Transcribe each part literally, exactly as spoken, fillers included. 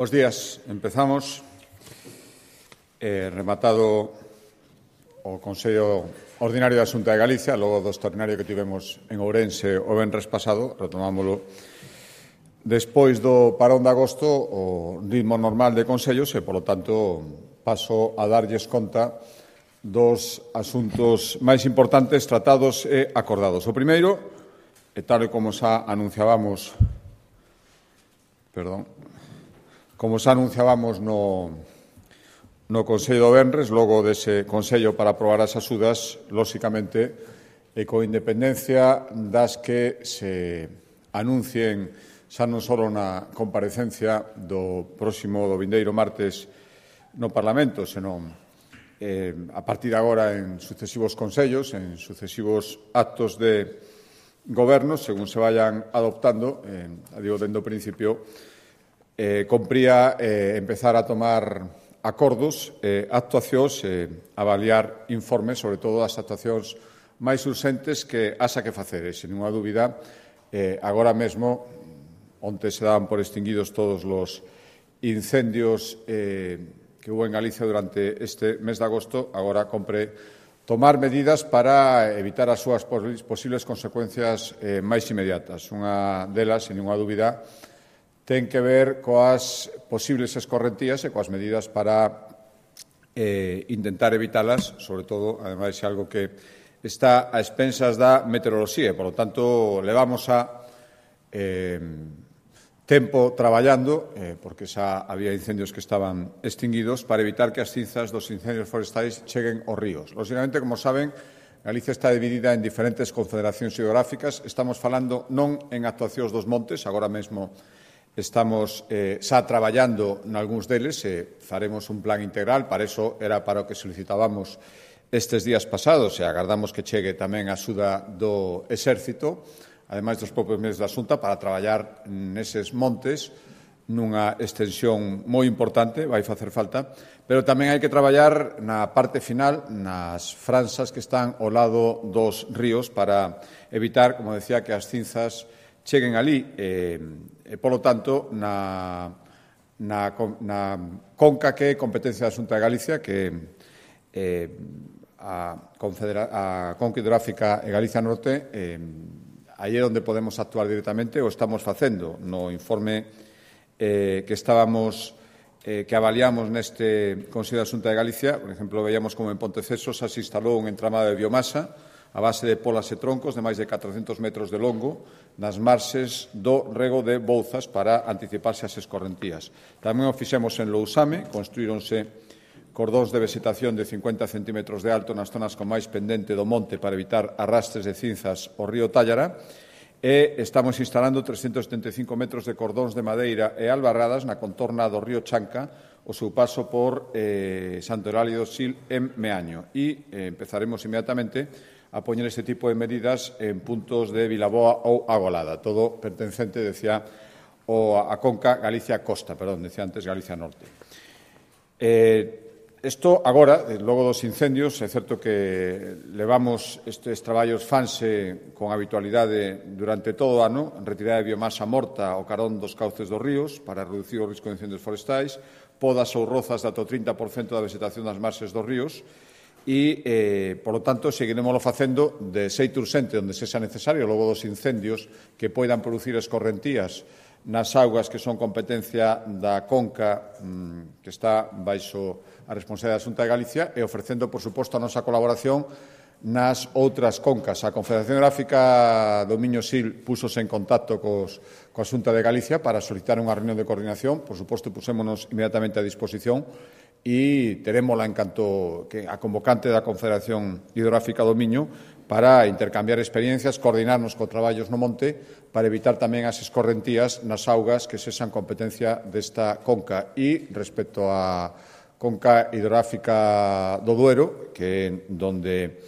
Bos días. Empezamos. Eh, rematado o Consello Ordinario da Xunta de Galicia, logo do extraordinario que tivemos en Ourense o venres pasado, retomámolo despois do parón de agosto o ritmo normal de consellos e, polo tanto, paso a darlles conta dos asuntos máis importantes tratados e acordados. O primeiro, e tal e como xa anunciábamos, perdón, como xa anunciábamos no, no Consello do venres, logo dese Consello para aprobar as axudas, lóxicamente, e coa independencia das que se anuncien xa non só na comparecencia do próximo, do vindeiro martes no Parlamento, senón eh, a partir de agora en sucesivos consellos, en sucesivos actos de goberno, según se vayan adoptando, eh, digo, dende o principio, eh, compría eh, empezar a tomar acordos, eh, actuacións, eh, avaliar informes, sobre todo as actuacións máis urxentes que haxa que facer. E, sen ninguna dúbida, eh, agora mesmo, onte se daban por extinguidos todos os incendios eh, que hubo en Galicia durante este mes de agosto, agora compre tomar medidas para evitar as súas posibles consecuencias eh, máis inmediatas. Unha delas, sen ninguna dúbida, ten que ver coas posibles escorrentías e coas medidas para eh, intentar evitalas, sobre todo, ademais, é algo que está a expensas da meteoroloxía. Por lo tanto, levamos a eh, tempo traballando, eh, porque xa había incendios que estaban extinguidos, para evitar que as cinzas dos incendios forestais cheguen aos ríos. Lóxicamente, como saben, Galicia está dividida en diferentes confederacións hidrográficas. Estamos falando non en actuacións dos montes, agora mesmo estamos eh, xa traballando nalgúns deles e faremos un plan integral. Para iso era para o que solicitábamos estes días pasados e agardamos que chegue tamén a axuda do Exército, ademais dos propios medios da Xunta, para traballar neses montes nunha extensión moi importante, vai facer falta, pero tamén hai que traballar na parte final, nas franxas que están ao lado dos ríos, para evitar, como decía, que as cinzas cheguen ali. E, e polo tanto, na, na, na conca que é competencia da Xunta de Galicia, que eh, a, Confedera, a Conca Hidrográfica e Galicia Norte, eh, aí é onde podemos actuar directamente, o estamos facendo no informe eh, que estábamos eh, que avaliamos neste Consello da Xunta de Galicia. Por exemplo, veíamos como en Ponteceso xa se instalou un entramado de biomasa a base de polas e troncos de máis de catrocentos metros de longo nas marxes do rego de Bouzas para anticiparse ás escorrentías. Tamén o fixemos en Lousame, construíronse cordóns de vegetación de cincuenta centímetros de alto nas zonas con máis pendente do monte para evitar arrastres de cinzas ao río Tállara, e estamos instalando trescentos setenta e cinco metros de cordóns de madeira e albarradas na contorna do río Chanca, o seu paso por eh, Santo Eulalia do Sil en Meaño. E eh, empezaremos inmediatamente a poñer este tipo de medidas en puntos de Vilaboa ou Agolada, todo pertencente, decía, o a Conca Galicia Costa, perdón, decía antes Galicia Norte. Eh, Isto agora, logo dos incendios, é certo que levamos estes traballos fanse con habitualidade durante todo o ano, retirada de biomasa morta ao carón dos cauces dos ríos para reducir o risco de incendios forestais, podas ou rozas de ata o trinta por cento da vegetación das marxes dos ríos e, eh, polo tanto, seguiremoslo facendo de xeito urxente onde sexa necesario, logo dos incendios que poidan producir escorrentías nas augas que son competencia da Conca, mmm, que está baixo a responsabilidade da Xunta de Galicia, e ofrecendo, por suposto, a nosa colaboración nas outras concas. A Confederación Hidrográfica do Miño-Sil púxose en contacto cos, coa Xunta de Galicia para solicitar unha reunión de coordinación. Por suposto, pusémonos inmediatamente a disposición e terémola en canto que a convocante da Confederación Hidrográfica do Miño para intercambiar experiencias, coordinarnos co traballos no monte para evitar tamén as escorrentías nas augas que sexan competencia desta conca. E respecto á Conca Hidrográfica do Duero, que é donde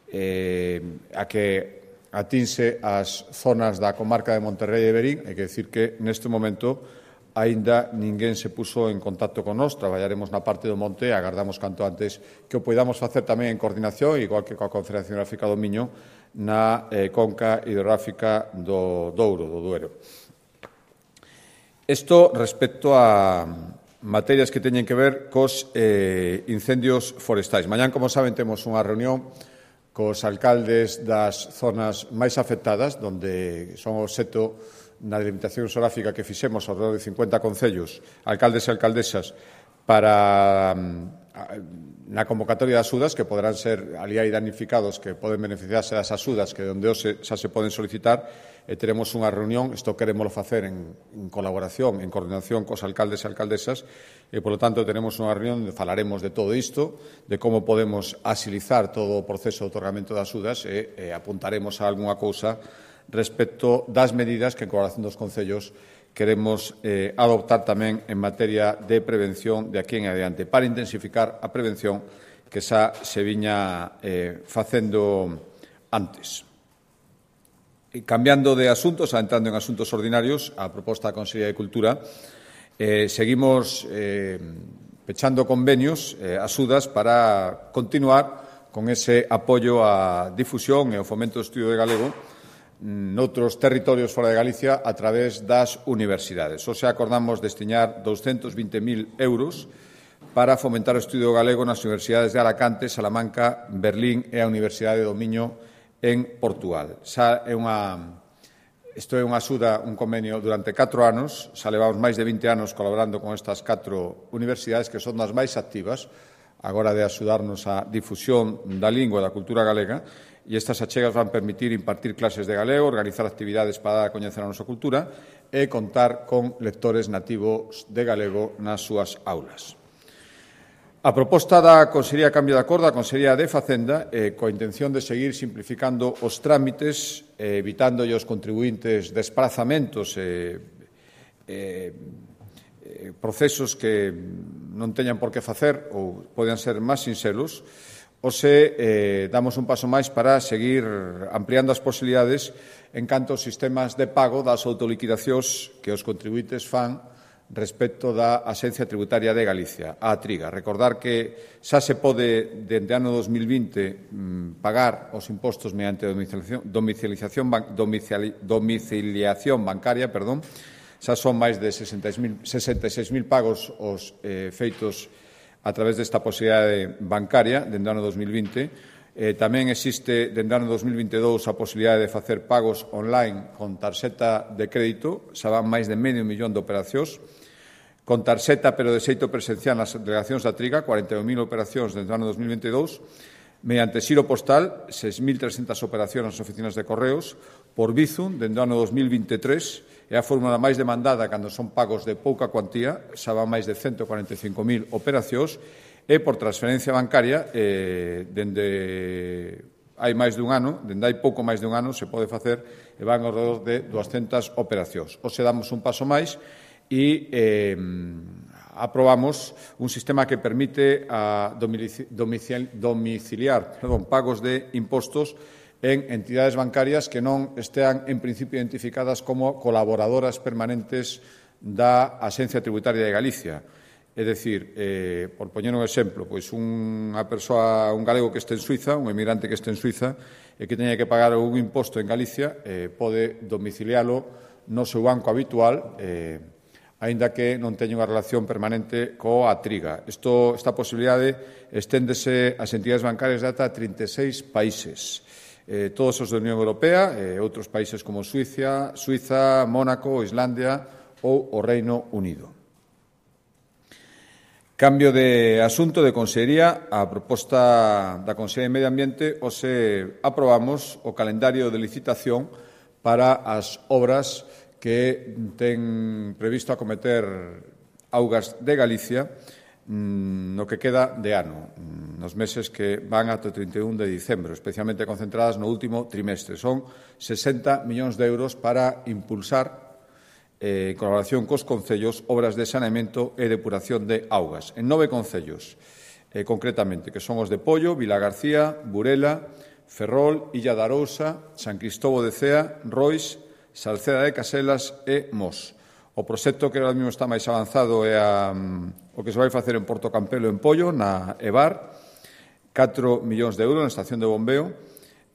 eh, a que atinse as zonas da comarca de Monterrei e Verín, hai que decir que neste momento aínda ninguén se puso en contacto con nós. Traballaremos na parte do monte e agardamos canto antes que o podamos facer tamén en coordinación, igual que coa Confederación Hidrográfica do Miño, na eh, Conca Hidrográfica do Douro, do Duero. Isto respecto a materias que teñen que ver cos eh, incendios forestais. Mañán, como saben, temos unha reunión cos alcaldes das zonas máis afectadas, donde son obxecto na delimitación xeográfica que fixemos ao redor de cincuenta concellos, alcaldes e alcaldesas, para na convocatoria das axudas, que poderán ser ali hai damnificados que poden beneficiarse das axudas que onde hoxe xa se poden solicitar, e teremos unha reunión, isto queremos facer en, en colaboración, en coordinación cos alcaldes e alcaldesas, e, polo tanto, teremos unha reunión onde falaremos de todo isto, de como podemos asilizar todo o proceso de otorgamento das axudas e, e apuntaremos a algunha cousa respecto das medidas que, en colaboración dos concellos, queremos eh, adoptar tamén en materia de prevención de aquí en adiante, para intensificar a prevención que xa se viña eh, facendo antes. E cambiando de asuntos, entrando en asuntos ordinarios, a proposta da Consellería de Cultura, eh, seguimos eh, pechando convenios, eh, axudas, para continuar con ese apoio á difusión e ao fomento do estudio de galego noutros territorios fora de Galicia a través das universidades. Hoxe acordamos destinar doscientos vinte mil euros para fomentar o estudio galego nas universidades de Alacante, Salamanca, Berlín e a Universidade do Miño en Portugal. Xa é unha, isto é unha axuda, un convenio durante catro anos, xa levamos máis de vinte anos colaborando con estas catro universidades que son das máis activas agora de axudarnos á difusión da lingua e da cultura galega, e estas achegas van permitir impartir clases de galego, organizar actividades para dar a coñecer a nosa cultura e contar con lectores nativos de galego nas súas aulas. A proposta da Consellería de Cambio de Acordo, a Consellería de Facenda, eh, coa intención de seguir simplificando os trámites, eh, evitando os contribuintes desprazamentos e eh, eh, procesos que non teñan por que facer ou poden ser máis sinxelos, Ose eh, damos un paso máis para seguir ampliando as posibilidades en canto aos sistemas de pago das autoliquidacións que os contribuintes fan respecto da Axencia Tributaria de Galicia, a Triga. Recordar que xa se pode, dende ano dos mil vinte, pagar os impostos mediante domiciliación, domiciliación, domicili, domiciliación bancaria, perdón. Xa son máis de sesenta e seis mil pagos os eh, feitos a través desta posibilidade bancaria dende o ano dos mil vinte. Eh, tamén existe dende o ano dos mil vinte e dous a posibilidade de facer pagos online con tarxeta de crédito, xa van máis de medio millón de operacións, con tarxeta pero de xeito presencial nas delegacións da Triga, cuarenta e un mil operacións dende o ano dos mil vinte e dous, mediante xiro postal, seis mil trescentas operacións nas oficinas de correos, por Bizum, dende o ano dos mil vinte e tres, é a fórmula máis demandada cando son pagos de pouca cuantía, xa van máis de ciento cuarenta e cinco mil operacións, e por transferencia bancaria, eh, dende hai máis dun ano, dende hai pouco máis dun ano, se pode facer e van ao redor de duascentas operacións. Hoxe damos un paso máis e eh, aprobamos un sistema que permite a domiciliar perdón, pagos de impostos en entidades bancarias que non estean, en principio, identificadas como colaboradoras permanentes da Axencia Tributaria de Galicia. É dicir, eh, por poñer un exemplo, pois unha persoa, un galego que este en Suiza, un emigrante que este en Suiza, e que teña que pagar un imposto en Galicia, eh, pode domicilialo no seu banco habitual, eh, aínda que non teña unha relación permanente coa Triga. Isto, esta posibilidade esténdese ás entidades bancarias de ata trinta e seis países. Eh, todos os da Unión Europea, e outros países como Suiza, Suiza, Mónaco, Islandia ou o Reino Unido. Cambio de asunto de Consellería. A proposta da Consellería de Medio Ambiente, hoxe aprobamos o calendario de licitación para as obras que ten previsto acometer Augas de Galicia no que queda de ano, nos meses que van ata o trinta e un de dicembro, especialmente concentradas no último trimestre. Son sesenta millóns de euros para impulsar, eh, en colaboración cos concellos, obras de saneamento e depuración de augas. En nove concellos, eh, concretamente, que son os de Pollo, Vilagarcía, Burela, Ferrol, Illa de Arousa, San Cristobo de Cea, Rois, Salceda de Caselas e Mos. O proxecto que ahora mesmo está máis avanzado é a, o que se vai facer en Porto Campelo, en Pollo, na EVAR, catro millóns de euros na estación de bombeo,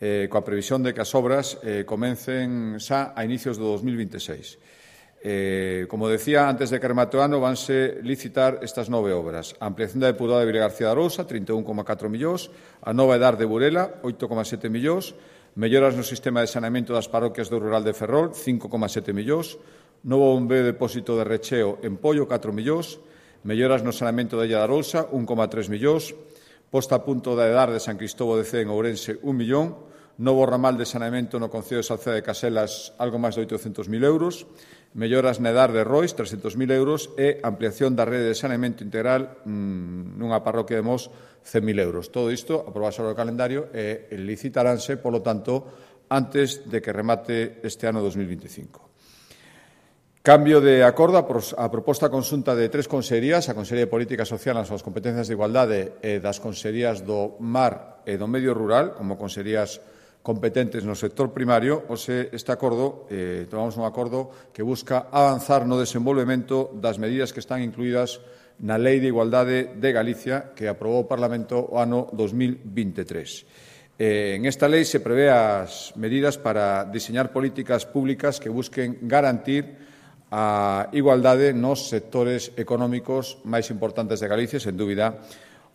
eh, coa previsión de que as obras eh, comencen xa a inicios do dos mil vinte e seis. Eh, como decía, antes de que remate o ano vanse licitar estas nove obras. A ampliación da depuradora de Vila García de Arousa, trinta e un coma catro millóns, a nova edar de Burela, oito coma sete millóns, melloras no sistema de saneamento das parroquias do rural de Ferrol, cinco coma sete millóns, novo bombeo de depósito de recheo en Pollo, catro millóns, melloras no saneamento da Illa de Arousa, un coma tres millóns, posta a punto da edar de San Cristóbal de Cee en Ourense, un millón, novo ramal de saneamento no concello de Salceda de Caselas, algo máis de oitocentos mil euros, melloras na edar de Rois, trescentos mil euros, e ampliación da rede de saneamento integral mmm, nunha parroquia de Mos, cen mil euros. Todo isto aprobado sobre o calendario e licitaránse, polo tanto, antes de que remate este ano dos mil veinticinco. Cambio de acordo a proposta conxunta de tres consellerías, a Consellería de Política Social nas súas competencias de igualdade e das consellerías do Mar e do Medio Rural, como consellerías competentes no sector primario, ou se este acordo, eh, tomamos un acordo que busca avanzar no desenvolvemento das medidas que están incluídas na Lei de Igualdade de Galicia que aprobou o Parlamento o ano dos mil veintitrés. Eh, en esta lei se prevé as medidas para diseñar políticas públicas que busquen garantir a igualdade nos sectores económicos máis importantes de Galicia, sen dúbida,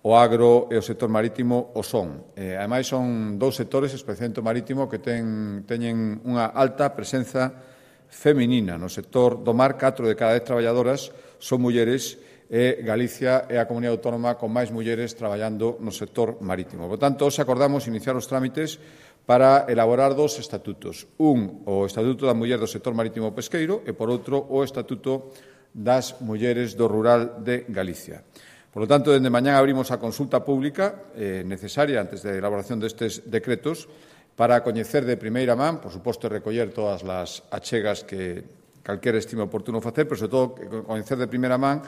o agro e o sector marítimo o son. Eh, ademais, son dous sectores, especialmente o marítimo, que ten, teñen unha alta presenza feminina. No sector do mar, catro de cada dez traballadoras son mulleres e Galicia é a comunidade autónoma con máis mulleres traballando no sector marítimo. Por tanto, hoxe acordamos iniciar os trámites para elaborar dos estatutos. Un, o Estatuto da Muller do sector marítimo pesqueiro e, por outro, o Estatuto das mulleres do rural de Galicia. Por lo tanto, dende mañá abrimos a consulta pública eh, necesaria antes da elaboración destes decretos para coñecer de primeira man, por suposto, recoller todas as achegas que calquera estime oportuno facer, pero, sobre todo, coñecer de primeira man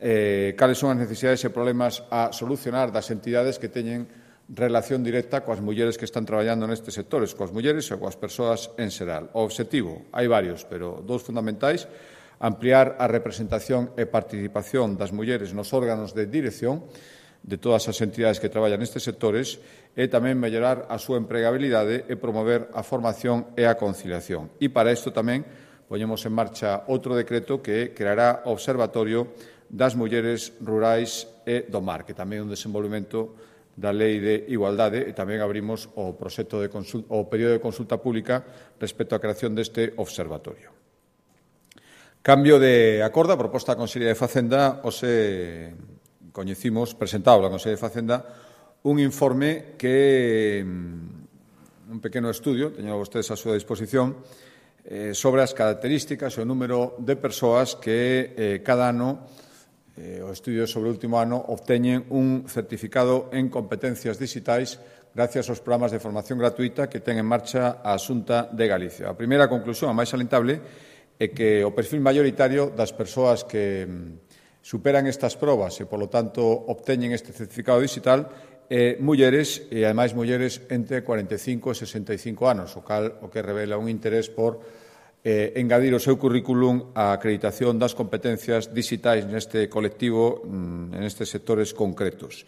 eh, cales son as necesidades e problemas a solucionar das entidades que teñen relación directa coas mulleres que están traballando nestes sectores, coas mulleres e coas persoas en xeral. O obxectivo, hai varios, pero dous fundamentais: ampliar a representación e participación das mulleres nos órganos de dirección de todas as entidades que traballan nestes sectores e tamén mellorar a súa empregabilidade e promover a formación e a conciliación. E para isto tamén poñemos en marcha outro decreto que creará o Observatorio das Mulleres Rurais e do Mar, que tamén é un desenvolvemento da Lei de Igualdade, e tamén abrimos o proxecto de consulta, o período de consulta pública respecto á creación deste observatorio. Cambio de acordo, a proposta da Consellería de Facenda, hoxe coñecimos, presentado a Consellería de Facenda, un informe que, un pequeno estudio, teñen vostedes a súa disposición, eh, sobre as características e o número de persoas que eh, cada ano, eh, o estudio sobre o último ano, obteñen un certificado en competencias digitais gracias aos programas de formación gratuita que ten en marcha a Xunta de Galicia. A primeira conclusión, a máis alentable, é que o perfil maioritario das persoas que superan estas probas e, polo tanto, obteñen este certificado digital é mulleres e, ademais, mulleres entre cuarenta e cinco e sesenta e cinco anos, o cal o que revela un interés por eh, engadir o seu currículum a acreditación das competencias digitais neste colectivo, nestes sectores concretos.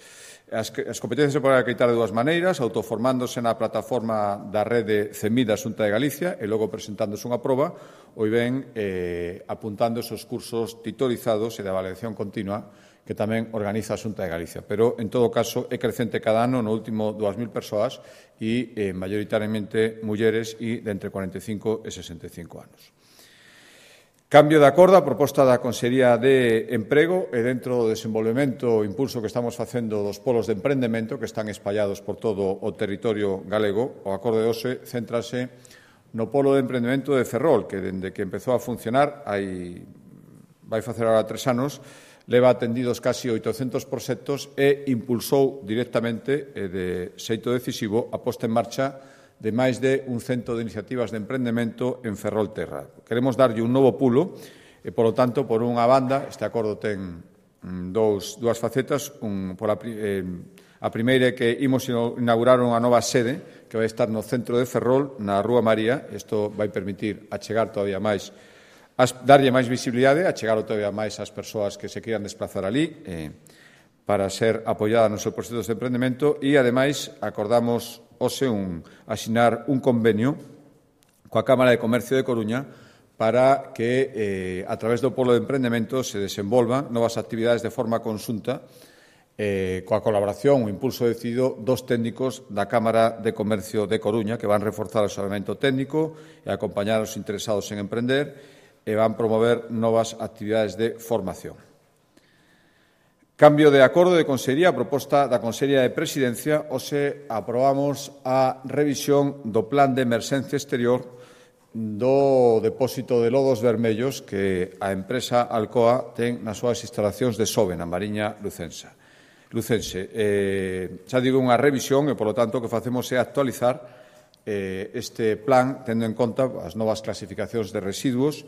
As, as competencias se poden acreditar de dúas maneiras, autoformándose na plataforma da rede CEMID da Xunta de Galicia e logo presentándose unha proba, ou ben eh, apuntando esos cursos titorizados e de avaliación continua que tamén organiza a Xunta de Galicia. Pero, en todo caso, é crecente cada ano, no último dúas mil persoas e eh, maioritariamente mulleres e de entre cuarenta e cinco e sesenta e cinco anos. Cambio de acordo, a proposta da Consellería de Emprego e dentro do desenvolvemento o impulso que estamos facendo dos polos de emprendemento que están espallados por todo o territorio galego. O acordo de hoxe céntrase no polo de emprendemento de Ferrol, que dende que empezou a funcionar, hai, vai facer agora tres anos, leva atendidos casi oitocentos proxectos e impulsou directamente e de xeito decisivo a posta en marcha de máis de un cento de iniciativas de emprendemento en Ferrolterra. Queremos darlle un novo pulo e, polo tanto, por unha banda, este acordo ten dous, dúas facetas. Un, por a, eh, a primeira é que imos inaugurar unha nova sede que vai estar no centro de Ferrol, na Rúa María. Isto vai permitir achegar todavía máis, darlle máis visibilidade, achegar todavía máis ás persoas que se queiran desplazar ali, eh, para ser apoiada nos seus proxectos de emprendemento e, ademais, acordamos hoxe un, asinar un convenio coa Cámara de Comercio de Coruña para que, eh, a través do Polo de Emprendemento, se desenvolvan novas actividades de forma conxunta eh, coa colaboración, o impulso decidido dos técnicos da Cámara de Comercio de Coruña, que van reforzar o asesoramento técnico e acompañar aos interesados en emprender e van promover novas actividades de formación. Cambio de acordo de Consellería, a proposta da Consellería de Presidencia, hoxe aprobamos a revisión do Plan de Emerxencia Exterior do depósito de lodos vermellos que a empresa Alcoa ten nas súas instalacións de Sove, na Mariña Lucensa. Lucense. Eh, xa digo unha revisión e, polo tanto, o que facemos é actualizar eh, este plan tendo en conta as novas clasificacións de residuos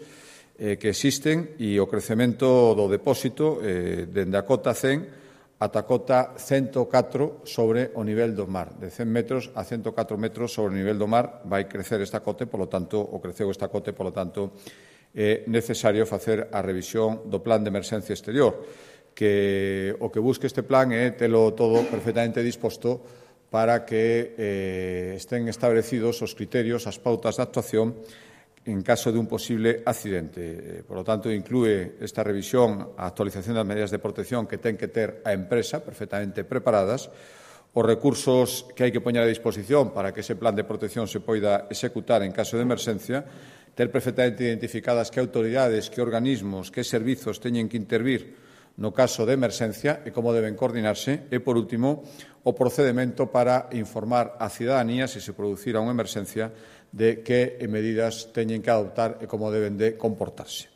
eh, que existen e o crecemento do depósito eh, dende a cota cen ata a cota ciento catro sobre o nivel do mar. De cen metros a ciento catro metros sobre o nivel do mar vai crecer esta cote, polo tanto, o creceu esta cote, polo tanto, é necesario facer a revisión do plan de emerxencia exterior, que o que busque este plan é telo todo perfectamente disposto para que eh, estén establecidos os criterios, as pautas de actuación en caso de un posible accidente. Por lo tanto, inclúe esta revisión a actualización das medidas de protección que ten que ter a empresa perfectamente preparadas, os recursos que hai que poñer a disposición para que ese plan de protección se poida executar en caso de emerxencia, ter perfectamente identificadas que autoridades, que organismos, que servizos teñen que intervir no caso de emerxencia e como deben coordinarse e, por último, o procedemento para informar á cidadanía se se producira unha emerxencia de que medidas teñen que adoptar e como deben de comportarse.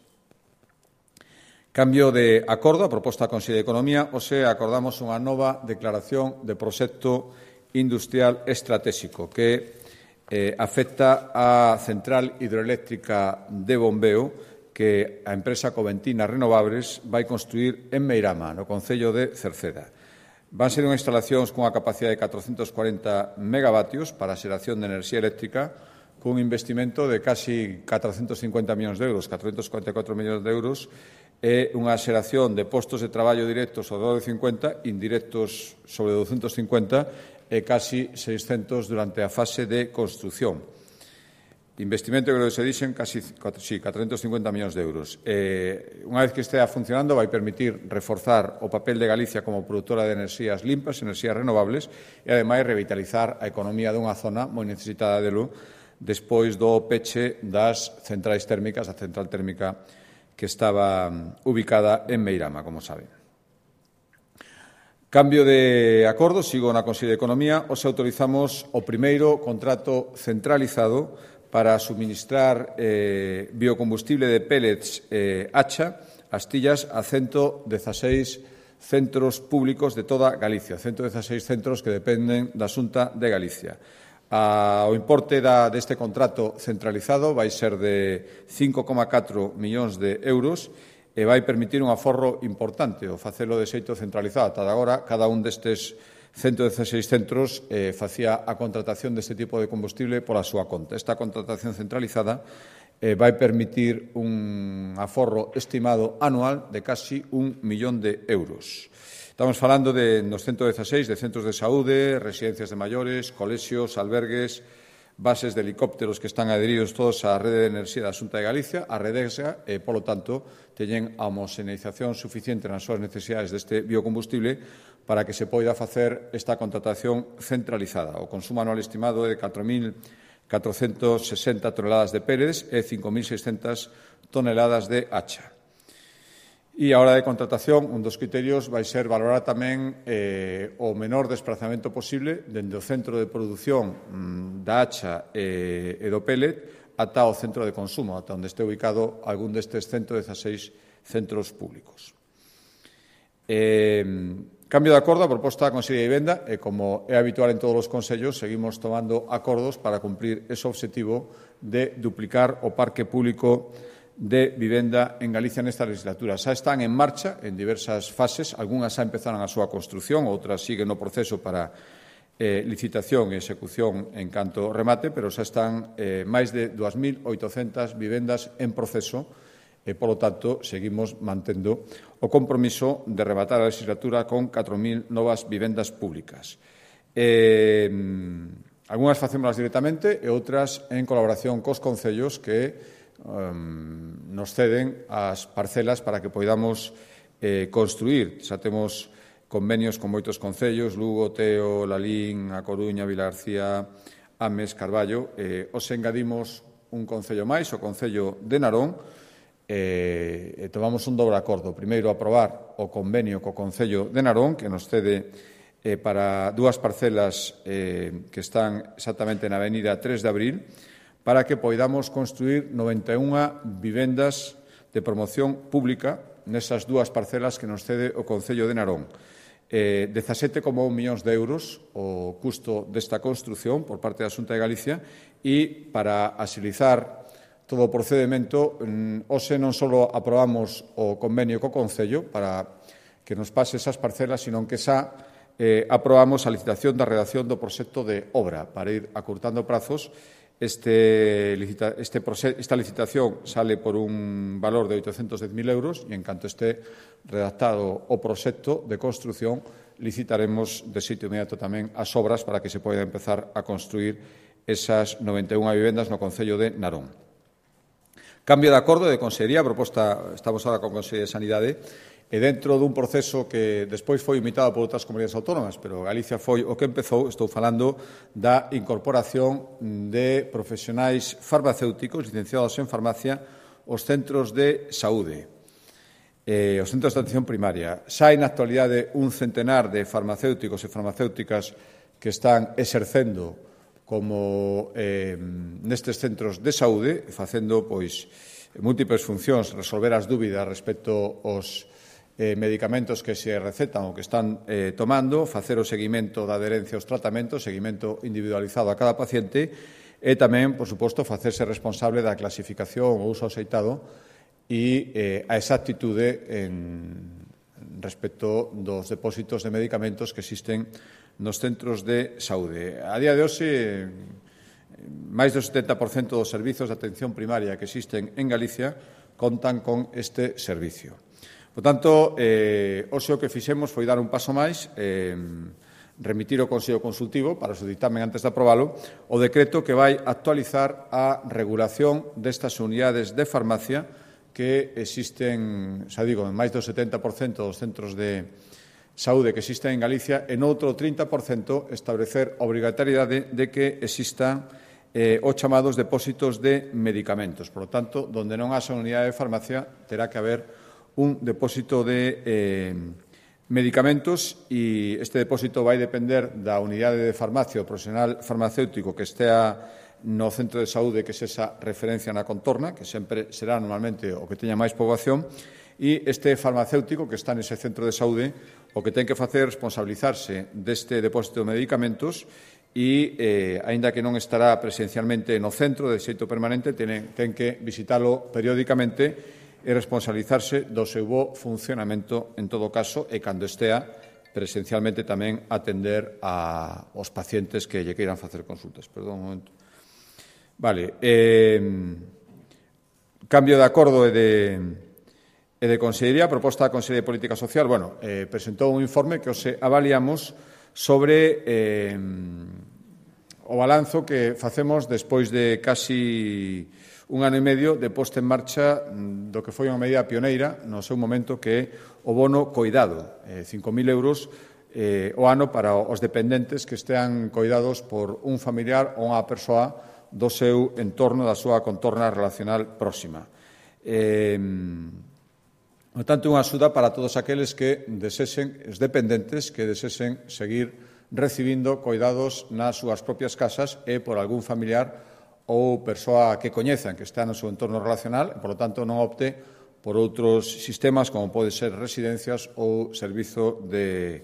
Cambio de acordo, a proposta da Consellería de Economía, hoxe acordamos unha nova declaración de proxecto industrial estratégico que eh, afecta á central hidroeléctrica de bombeo que a empresa Coventina Renovables vai construir en Meirama, no concello de Cerceda. Van ser unhas instalacións cunha capacidade de catrocentos cuarenta megavatios para a xeración de enerxía eléctrica, cun investimento de casi catrocentos cincuenta millóns de euros, catrocentos cuarenta e catro millóns de euros, e unha xeración de postos de traballo directos sobre doce cincuenta, indirectos sobre douscentos cincuenta e casi seiscentos durante a fase de construción. Investimento, que se dixen, casi sí, catrocentos cincuenta millóns de euros. Eh, unha vez que estea funcionando, vai permitir reforzar o papel de Galicia como produtora de enerxías limpas, enerxías renovables, e, ademais, revitalizar a economía dunha zona moi necesitada delo despois do peche das centrais térmicas, a central térmica que estaba ubicada en Meirama, como saben. Cambio de acordo, sigo na Consellería de Economía, hoxe autorizamos o primeiro contrato centralizado para suministrar eh, biocombustible de pellets eh, Hacha, Astillas, a ciento dieciséis centros públicos de toda Galicia, ciento dieciséis centros que dependen da Xunta de Galicia. A, o importe da, deste contrato centralizado vai ser de cinco coma catro millóns de euros e vai permitir un aforro importante o facelo de xeito centralizado. Ata agora, cada un destes ciento dieciséis centros eh, facía a contratación deste tipo de combustible pola súa conta. Esta contratación centralizada eh, vai permitir un aforro estimado anual de casi un millón de euros. Estamos falando de, nos ciento dieciséis de centros de saúde, residencias de maiores, colexios, albergues, bases de helicópteros que están adheridos todos á rede de enerxía da Xunta de Galicia, a Redesa, e, polo tanto, teñen a homoxeneización suficiente nas súas necesidades deste biocombustible para que se poida facer esta contratación centralizada. O consumo anual estimado é de catro mil catrocentos sesenta toneladas de pellets e cinco mil seiscentas toneladas de hacha. E a hora de contratación, un dos criterios vai ser valorar tamén eh, o menor desplazamento posible dende o centro de produción mm, da hacha e, e do pellet ata o centro de consumo, ata onde este ubicado algún destes ciento dieciséis centros públicos. Eh, cambio de acordo, a proposta da Consellería de Vivenda, e como é habitual en todos os consellos, seguimos tomando acordos para cumprir ese obxectivo de duplicar o parque público de vivenda en Galicia nesta legislatura. Xa están en marcha en diversas fases, algunhas xa empezaron a súa construción, outras siguen no proceso para eh, licitación e execución en canto remate, pero xa están eh, máis de dúas mil oitocentas vivendas en proceso e, polo tanto, seguimos mantendo o compromiso de rematar a legislatura con catro mil novas vivendas públicas. Eh, algunhas facémolas directamente e outras en colaboración cos concellos que um, nos ceden as parcelas para que poidamos eh, construir. Xa temos convenios con moitos concellos, Lugo, Teo, Lalín, A Coruña, Vilagarcía, Ames, Carballo. Eh, os engadimos un concello máis, o Concello de Narón, e eh, tomamos un dobre acordo. Primeiro, aprobar o convenio co Concello de Narón, que nos cede eh, para dúas parcelas eh, que están exactamente na avenida tres de abril, para que poidamos construir noventa e unha vivendas de promoción pública nesas dúas parcelas que nos cede o Concello de Narón. Eh, dezasete coma un millóns de euros o custo desta construción por parte da Xunta de Galicia, e para axilizar todo o procedemento, hoxe non só aprobamos o convenio co Concello para que nos pase esas parcelas, sino que xa eh, aprobamos a licitación da redacción do proxecto de obra para ir acurtando prazos. Este, este, esta licitación sale por un valor de oitocentos dez mil euros e, en canto este redactado o proxecto de construción, licitaremos de sitio inmediato tamén as obras para que se poida empezar a construir esas noventa e unha vivendas no Concello de Narón. Cambio de acordo de Consellería, proposta, estamos agora con Consellería de Sanidade, e dentro dun proceso que despois foi imitado por outras comunidades autónomas, pero Galicia foi o que empezou. Estou falando da incorporación de profesionais farmacéuticos licenciados en farmacia aos centros de saúde, eh, os centros de atención primaria. Xa hai na actualidade un centenar de farmacéuticos e farmacéuticas que están exercendo como eh, nestes centros de saúde, facendo pois múltiples funcións, resolver as dúbidas respecto aos eh, medicamentos que se recetan ou que están eh, tomando, facer o seguimento da adherencia aos tratamentos, seguimento individualizado a cada paciente, e tamén, por suposto, facerse responsable da clasificación ou uso aceitado e eh, a exactitude en respecto dos depósitos de medicamentos que existen nos centros de saúde. A día de hoxe, máis do setenta por cento dos servizos de atención primaria que existen en Galicia contan con este servicio. Por tanto, eh, hoxe o que fixemos foi dar un paso máis, eh, remitir ao Consello Consultivo para o seu dictamen antes de aprobalo o decreto que vai actualizar a regulación destas unidades de farmacia que existen, xa digo, en máis do setenta por cento dos centros de saúde que existen en Galicia, e noutro trinta por cento establecer a obrigatoriedade de que existan eh, os chamados depósitos de medicamentos. Por lo tanto, donde non haxa unidade de farmacia, terá que haber un depósito de eh, medicamentos, e este depósito vai depender da unidade de farmacia o profesional farmacéutico que estea no centro de saúde, que é esa referencia na contorna, que sempre será normalmente o que teña máis poboación, e este farmacéutico que está nese centro de saúde o que ten que facer é responsabilizarse deste depósito de medicamentos e, eh, aínda que non estará presencialmente no centro de xeito permanente, ten, ten que visitalo periódicamente e responsabilizarse do seu bo funcionamento en todo caso, e cando estea presencialmente tamén atender a, aos pacientes que lle queiran facer consultas. Perdón un momento. Vale. Eh, cambio de acordo e de... E de Consellería, proposta da Consellería de Política Social, bueno, eh, presentou un informe que os avaliamos sobre eh, o balanzo que facemos despois de casi un ano e medio de posta en marcha do que foi unha medida pioneira no seu momento, que é o bono coidado, eh, cinco mil euros eh, o ano para os dependentes que estean coidados por un familiar ou unha persoa do seu entorno, da súa contorna relacional próxima. Eh, Por tanto, unha axuda para todos aqueles que desesen, os dependentes, que desesen seguir recibindo coidados nas súas propias casas e por algún familiar ou persoa que coñezan que está no seu entorno relacional, e, por lo tanto, non opte por outros sistemas como pode ser residencias ou servizo de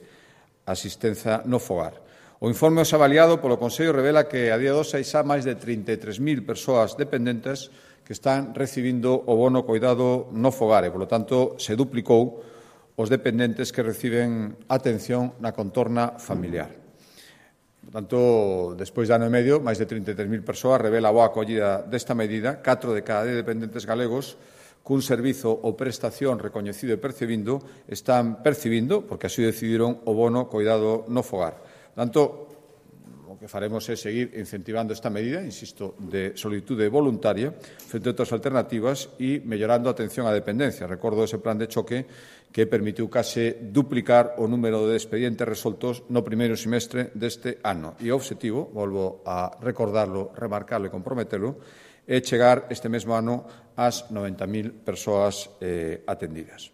asistencia no fogar. O informe os avaliado polo Consello revela que a día de hoxe hai xa máis de trinta e tres mil persoas dependentes que están recibindo o bono coidado no fogar e, por lo tanto, se duplicou os dependentes que reciben atención na contorna familiar. Por tanto, despois de ano e medio, máis de trinta e tres mil persoas revela a boa acollida desta medida. Catro de cada dez dependentes galegos cun servizo ou prestación recoñecido e percibindo están percibindo, porque así decidiron, o bono coidado no fogar. Por tanto, o o que faremos é seguir incentivando esta medida, insisto, de solitude voluntaria frente a outras alternativas e mellorando a atención á dependencia. Recordo ese plan de choque que permitiu case duplicar o número de expedientes resoltos no primeiro semestre deste ano. E o obxectivo, volvo a recordarlo, remarcarlo e comprometelo, é chegar este mesmo ano ás noventa mil persoas eh, atendidas.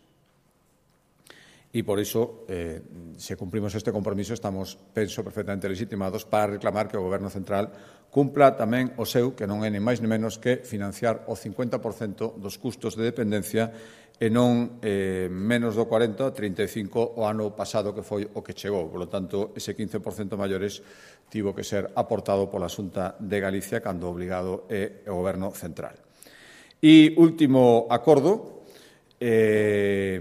E, por iso, eh, se cumprimos este compromiso, estamos, penso, perfectamente legitimados para reclamar que o Goberno central cumpla tamén o seu, que non é ni máis ni menos que financiar o cincuenta por cento dos custos de dependencia e non eh, menos do cuarenta, trinta e cinco o ano pasado que foi o que chegou. Por lo tanto, ese quince por cento maiores tivo que ser aportado pola Xunta de Galicia cando obligado é o Goberno central. E último acordo, eh,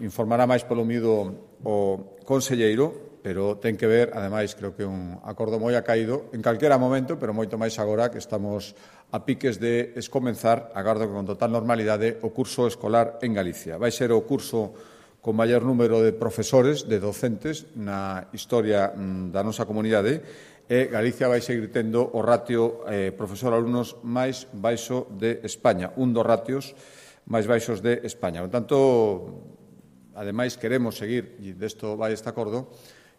informará máis polo miúdo o conselleiro, pero ten que ver, ademais, creo que é un acordo moi acaído, en calquera momento, pero moito máis agora que estamos a piques de escomenzar, agardo que con total normalidade, o curso escolar en Galicia. Vai ser o curso con maior número de profesores, de docentes, na historia da nosa comunidade, e Galicia vai seguir tendo o ratio eh, profesor-alumnos máis baixo de España, un dos ratios máis baixos de España. Por tanto, ademais, queremos seguir, e desto vai este acordo,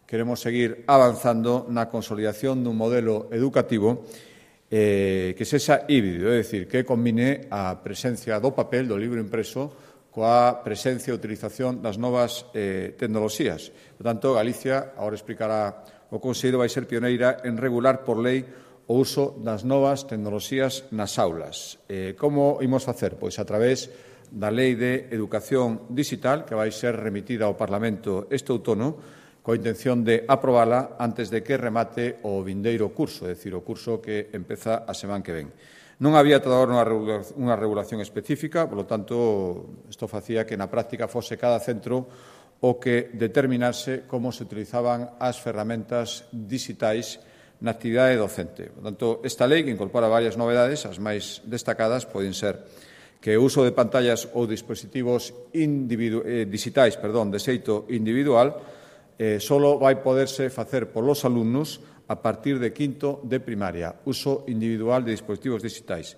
queremos seguir avanzando na consolidación dun modelo educativo eh, que sexa híbrido, é dicir, que combine a presencia do papel, do libro impreso, coa presencia e utilización das novas eh, tecnoloxías. Por tanto, Galicia, agora explicará o Consello, vai ser pioneira en regular por lei o uso das novas tecnoloxías nas aulas. Eh, como imos facer? Pois a través da Lei de Educación Digital, que vai ser remitida ao Parlamento este outono, coa intención de aprobala antes de que remate o vindeiro curso, é dicir, o curso que empeza a semana que ven. Non había ata agora unha regulación específica, por lo tanto, isto facía que na práctica fose cada centro o que determinase como se utilizaban as ferramentas digitais na actividade docente. Por tanto, esta lei, que incorpora varias novedades, as máis destacadas poden ser que o uso de pantallas ou dispositivos eh, digitais perdón, de xeito individual eh, solo vai poderse facer polos alumnos a partir de quinto de primaria, uso individual de dispositivos digitais.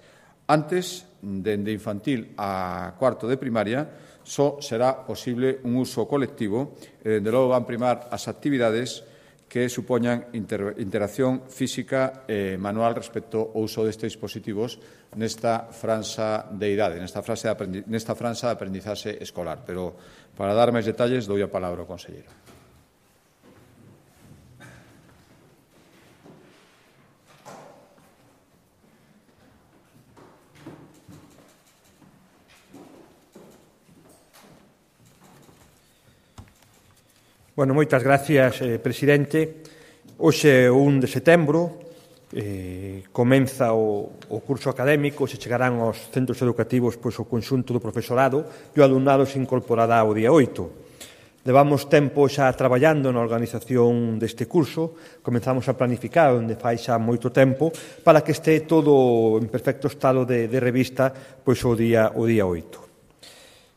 Antes, dende infantil a cuarto de primaria, só será posible un uso colectivo e, dende logo, van primar as actividades que supoñan inter interacción física e manual respecto ao uso destes dispositivos nesta franxa de idade, nesta, frase de nesta franxa de aprendizaxe escolar. Pero, para dar máis detalles, dou a palabra ao conselleiro. Bueno, moitas gracias, eh, presidente. Hoxe, o un de setembro, eh, comeza o, o curso académico, se chegarán aos centros educativos pois, o conxunto do profesorado e o alumnado se incorporará o día oito. Levamos tempo xa traballando na organización deste curso, comenzamos a planificar onde fai xa moito tempo para que este todo en perfecto estado de, de revista pois, o día o día oito.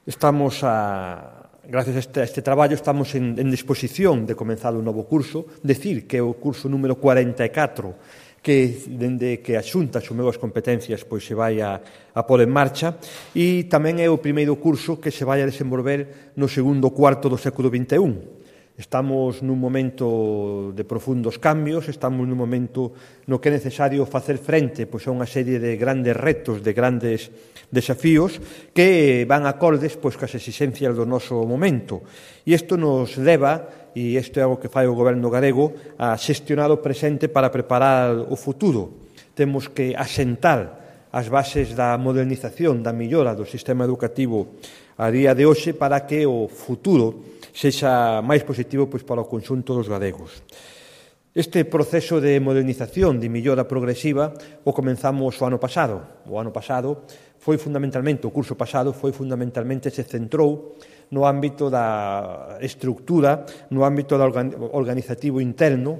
Estamos a... Gracias a este, a este traballo estamos en, en disposición de comenzar un novo curso, decir que é o curso número cuarenta e catro, que dende que a Xunta asumeu as competencias pois se vai a, a pôr en marcha, e tamén é o primeiro curso que se vai a desenvolver no segundo cuarto do século vinte e un. Estamos nun momento de profundos cambios, estamos nun momento no que é necesario facer frente pois, a unha serie de grandes retos, de grandes desafíos que van acordes pois, cas exixencias do noso momento. E isto nos leva, e isto é algo que fai o Goberno galego, a xestionar o presente para preparar o futuro. Temos que asentar as bases da modernización, da millora do sistema educativo a día de hoxe para que o futuro sexa máis positivo pois, para o conxunto dos galegos. Este proceso de modernización, de millora progresiva, o comenzamos o ano pasado. O ano pasado foi fundamentalmente, o curso pasado foi fundamentalmente, se centrou no ámbito da estructura, no ámbito da organizativo interno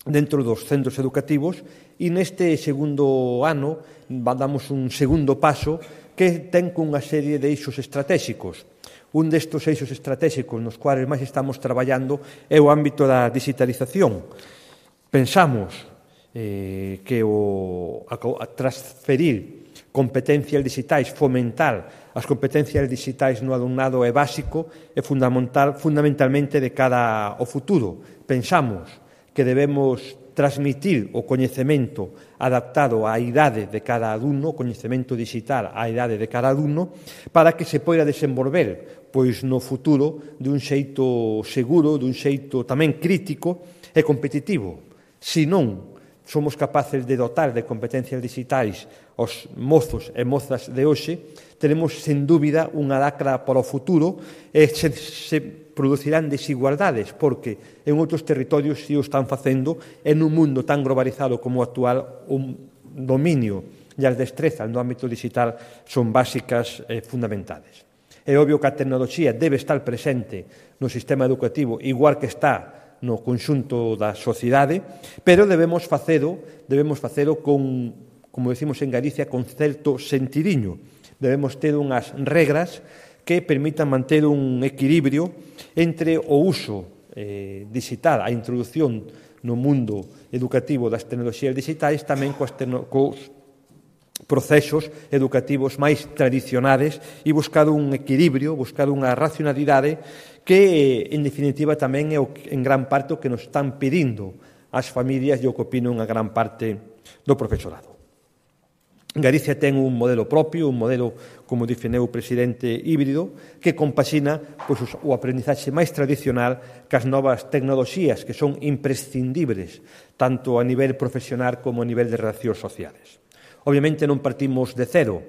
dentro dos centros educativos e neste segundo ano damos un segundo paso que ten cunha serie de eixos estratégicos. Un destes eixos estratégicos nos cuales máis estamos traballando é o ámbito da digitalización. Pensamos eh, que o, a, a transferir competencias digitais, fomentar as competencias digitais no alumnado é básico e fundamental, fundamentalmente de cara ao futuro. Pensamos que debemos transmitir o coñecemento adaptado á idade de cada alumno, o coñecemento digital á idade de cada alumno, para que se poida desenvolver pois no futuro dun xeito seguro, dun xeito tamén crítico e competitivo. Se non somos capaces de dotar de competencias digitais os mozos e mozas de hoxe, teremos, sen dúbida, unha lacra para o futuro e se, se producirán desigualdades, porque en outros territorios si o están facendo, en un mundo tan globalizado como o actual, un dominio e as destrezas no ámbito digital son básicas e fundamentadas. É obvio que a tecnoloxía debe estar presente no sistema educativo, igual que está no conxunto da sociedade, pero debemos facelo, debemos facelo con, como decimos en Galicia, con certo sentidiño. Debemos ter unhas regras que permitan manter un equilibrio entre o uso eh, digital, a introducción no mundo educativo das tecnoloxías digitais, tamén coas, cos procesos educativos máis tradicionales e buscar un equilibrio, buscar unha racionalidade que, en definitiva, tamén é en gran parte o que nos están pedindo as familias e o que opino unha gran parte do profesorado. Galicia ten un modelo propio, un modelo, como definiu o presidente, híbrido, que compaxina pois, o aprendizaxe máis tradicional cas novas tecnoloxías que son imprescindibles tanto a nivel profesional como a nivel de relacións sociales. Obviamente non partimos de cero.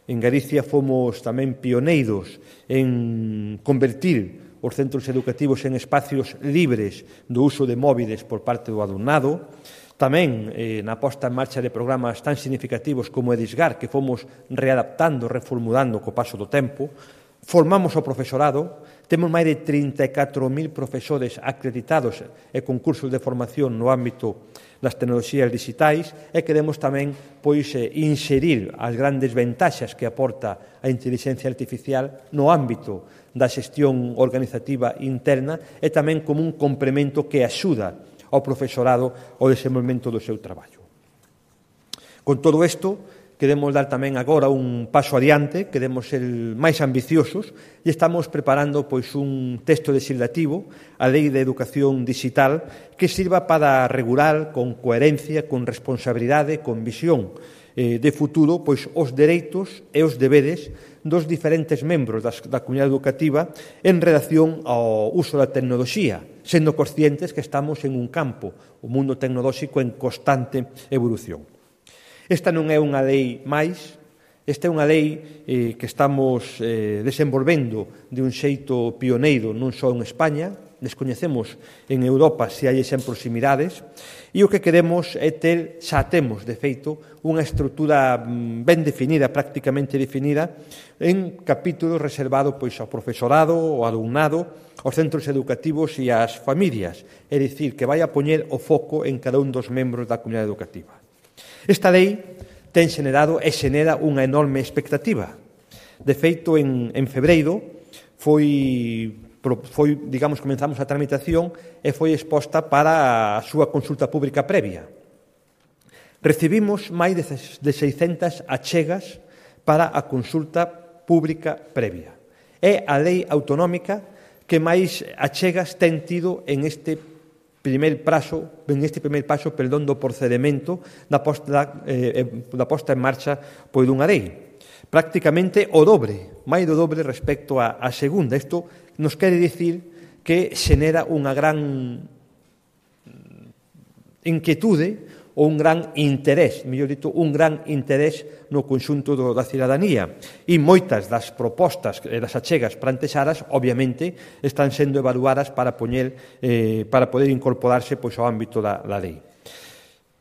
En Galicia fomos tamén pioneiros en convertir os centros educativos en espacios libres do uso de móviles por parte do alumnado. Tamén eh, na posta en marcha de programas tan significativos como Edisgar, que fomos readaptando, reformulando co paso do tempo. Formamos o profesorado, temos máis de trinta e catro mil profesores acreditados e concursos de formación no ámbito das tecnoloxías digitais e queremos tamén pois, inserir as grandes ventaxas que aporta a inteligencia artificial no ámbito da xestión organizativa interna e tamén como un complemento que axuda ao profesorado ao desenvolvemento do seu traballo. Con todo isto, queremos dar tamén agora un paso adiante, queremos ser máis ambiciosos e estamos preparando pois, un texto legislativo, a Lei de Educación Digital, que sirva para regular con coherencia, con responsabilidade, con visión eh, de futuro, pois, os dereitos e os deberes dos diferentes membros das, da comunidade educativa en relación ao uso da tecnoloxía, sendo conscientes que estamos en un campo, o mundo tecnolóxico en constante evolución. Esta non é unha lei máis, esta é unha lei eh, que estamos eh, desenvolvendo de un xeito pioneiro non só en España, descoñecemos en Europa se hai exemplos similares, e o que queremos é ter, xa temos de feito, unha estrutura ben definida, prácticamente definida, en capítulos reservados pois, ao profesorado, ao alumnado, aos centros educativos e ás familias, é dicir, que vai a poñer o foco en cada un dos membros da comunidade educativa. Esta lei ten xenerado e xenera unha enorme expectativa. De feito, en, en febreiro foi, foi, digamos, comenzamos a tramitación e foi exposta para a súa consulta pública previa. Recibimos máis de seiscentas achegas para a consulta pública previa. É a lei autonómica que máis achegas ten tido en este primeiro prazo, en este primeiro paso, perdón, do procedimento da posta, eh, da posta en marcha pois dunha lei. Prácticamente o dobre, máis do dobre respecto á, á segunda. Isto nos quere dicir que xenera unha gran inquietude ou un gran interés, mellor dito, un gran interés no conxunto do, da cidadanía. E moitas das propostas e das achegas plantexadas, obviamente, están sendo evaluadas para poñer, eh, para poder incorporarse pois, ao ámbito da, da lei.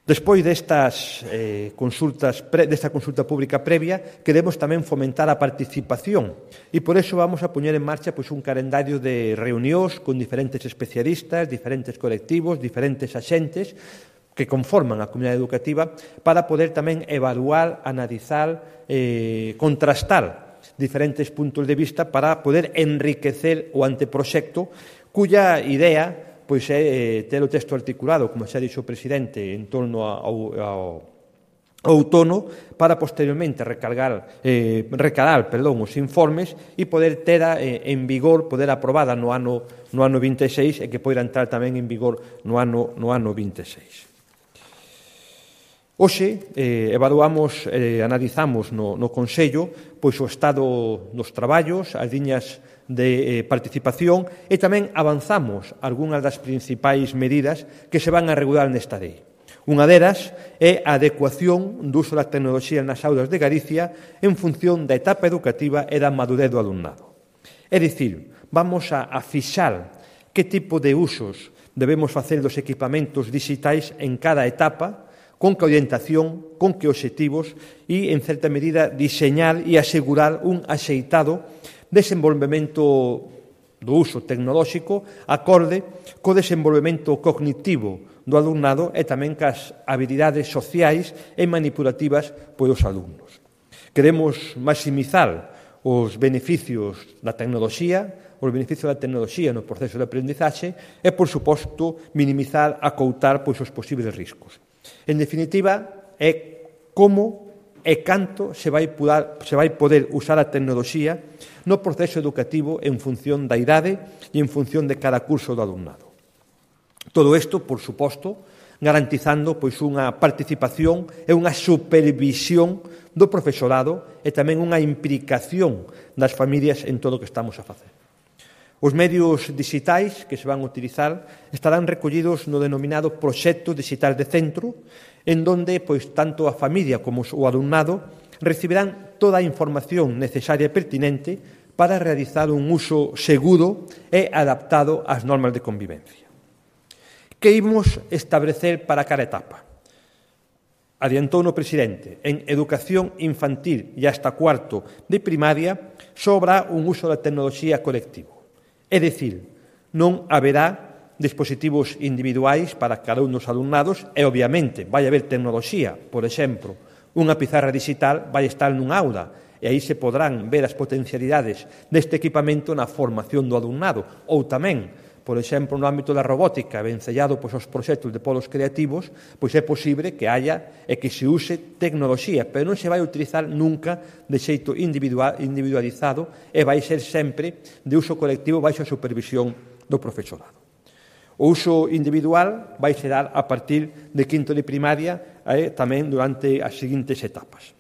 Despois destas eh, consultas, pre, desta consulta pública previa, queremos tamén fomentar a participación e por eso vamos a poñer en marcha pois, un calendario de reunións con diferentes especialistas, diferentes colectivos, diferentes axentes, que conforman a comunidade educativa para poder tamén evaluar, analizar, eh, contrastar diferentes puntos de vista para poder enriquecer o anteproxecto cuya idea pois é ter o texto articulado, como xa dixo o presidente, en torno ao, ao outono, para posteriormente recargar, eh, recalar perdón, os informes e poder ter eh, en vigor, poder aprobada no ano, no ano vinte e seis e que poida entrar tamén en vigor no ano, no ano vinte e seis. Hoxe eh, evaluamos, eh, analizamos no, no Consello pois o estado dos traballos, as liñas de eh, participación e tamén avanzamos algunhas das principais medidas que se van a regular nesta lei. Unha delas é a adecuación do uso da tecnoloxía nas aulas de Galicia en función da etapa educativa e da madurez do alumnado. É dicir, vamos a, a fixar que tipo de usos debemos facer dos equipamentos digitais en cada etapa, con que orientación, con que obxectivos e, en certa medida, diseñar e asegurar un axeitado desenvolvemento do uso tecnolóxico acorde co desenvolvemento cognitivo do alumnado e tamén cas habilidades sociais e manipulativas polos alumnos. Queremos maximizar os beneficios da tecnoloxía, os beneficios da tecnoloxía no proceso de aprendizaxe e, por suposto, minimizar, acoutar pois, os posibles riscos. En definitiva, é como e canto se vai, poder, se vai poder usar a tecnoloxía no proceso educativo en función da idade e en función de cada curso do alumnado. Todo isto, por suposto, garantizando pois, unha participación e unha supervisión do profesorado e tamén unha implicación das familias en todo o que estamos a facer. Os medios digitais que se van a utilizar estarán recollidos no denominado proxecto digital de centro, en donde pois, tanto a familia como o alumnado recibirán toda a información necesaria e pertinente para realizar un uso seguro e adaptado ás normas de convivencia. Que imos establecer para cada etapa? Adiantou no presidente, en educación infantil e hasta cuarto de primaria sobra un uso da tecnoloxía colectivo. É dicir, non haberá dispositivos individuais para cada un dos alumnados e, obviamente, vai haber tecnoloxía. Por exemplo, unha pizarra digital vai estar nunha aula e aí se podrán ver as potencialidades deste equipamento na formación do alumnado. Ou tamén, por exemplo, no ámbito da robótica, vencellado pois, aos proxectos de polos creativos, pois é posible que haya e que se use tecnoloxía, pero non se vai utilizar nunca de xeito individual, individualizado e vai ser sempre de uso colectivo baixo a supervisión do profesorado. O uso individual vai se dar a partir de quinto de primaria e tamén durante as seguintes etapas.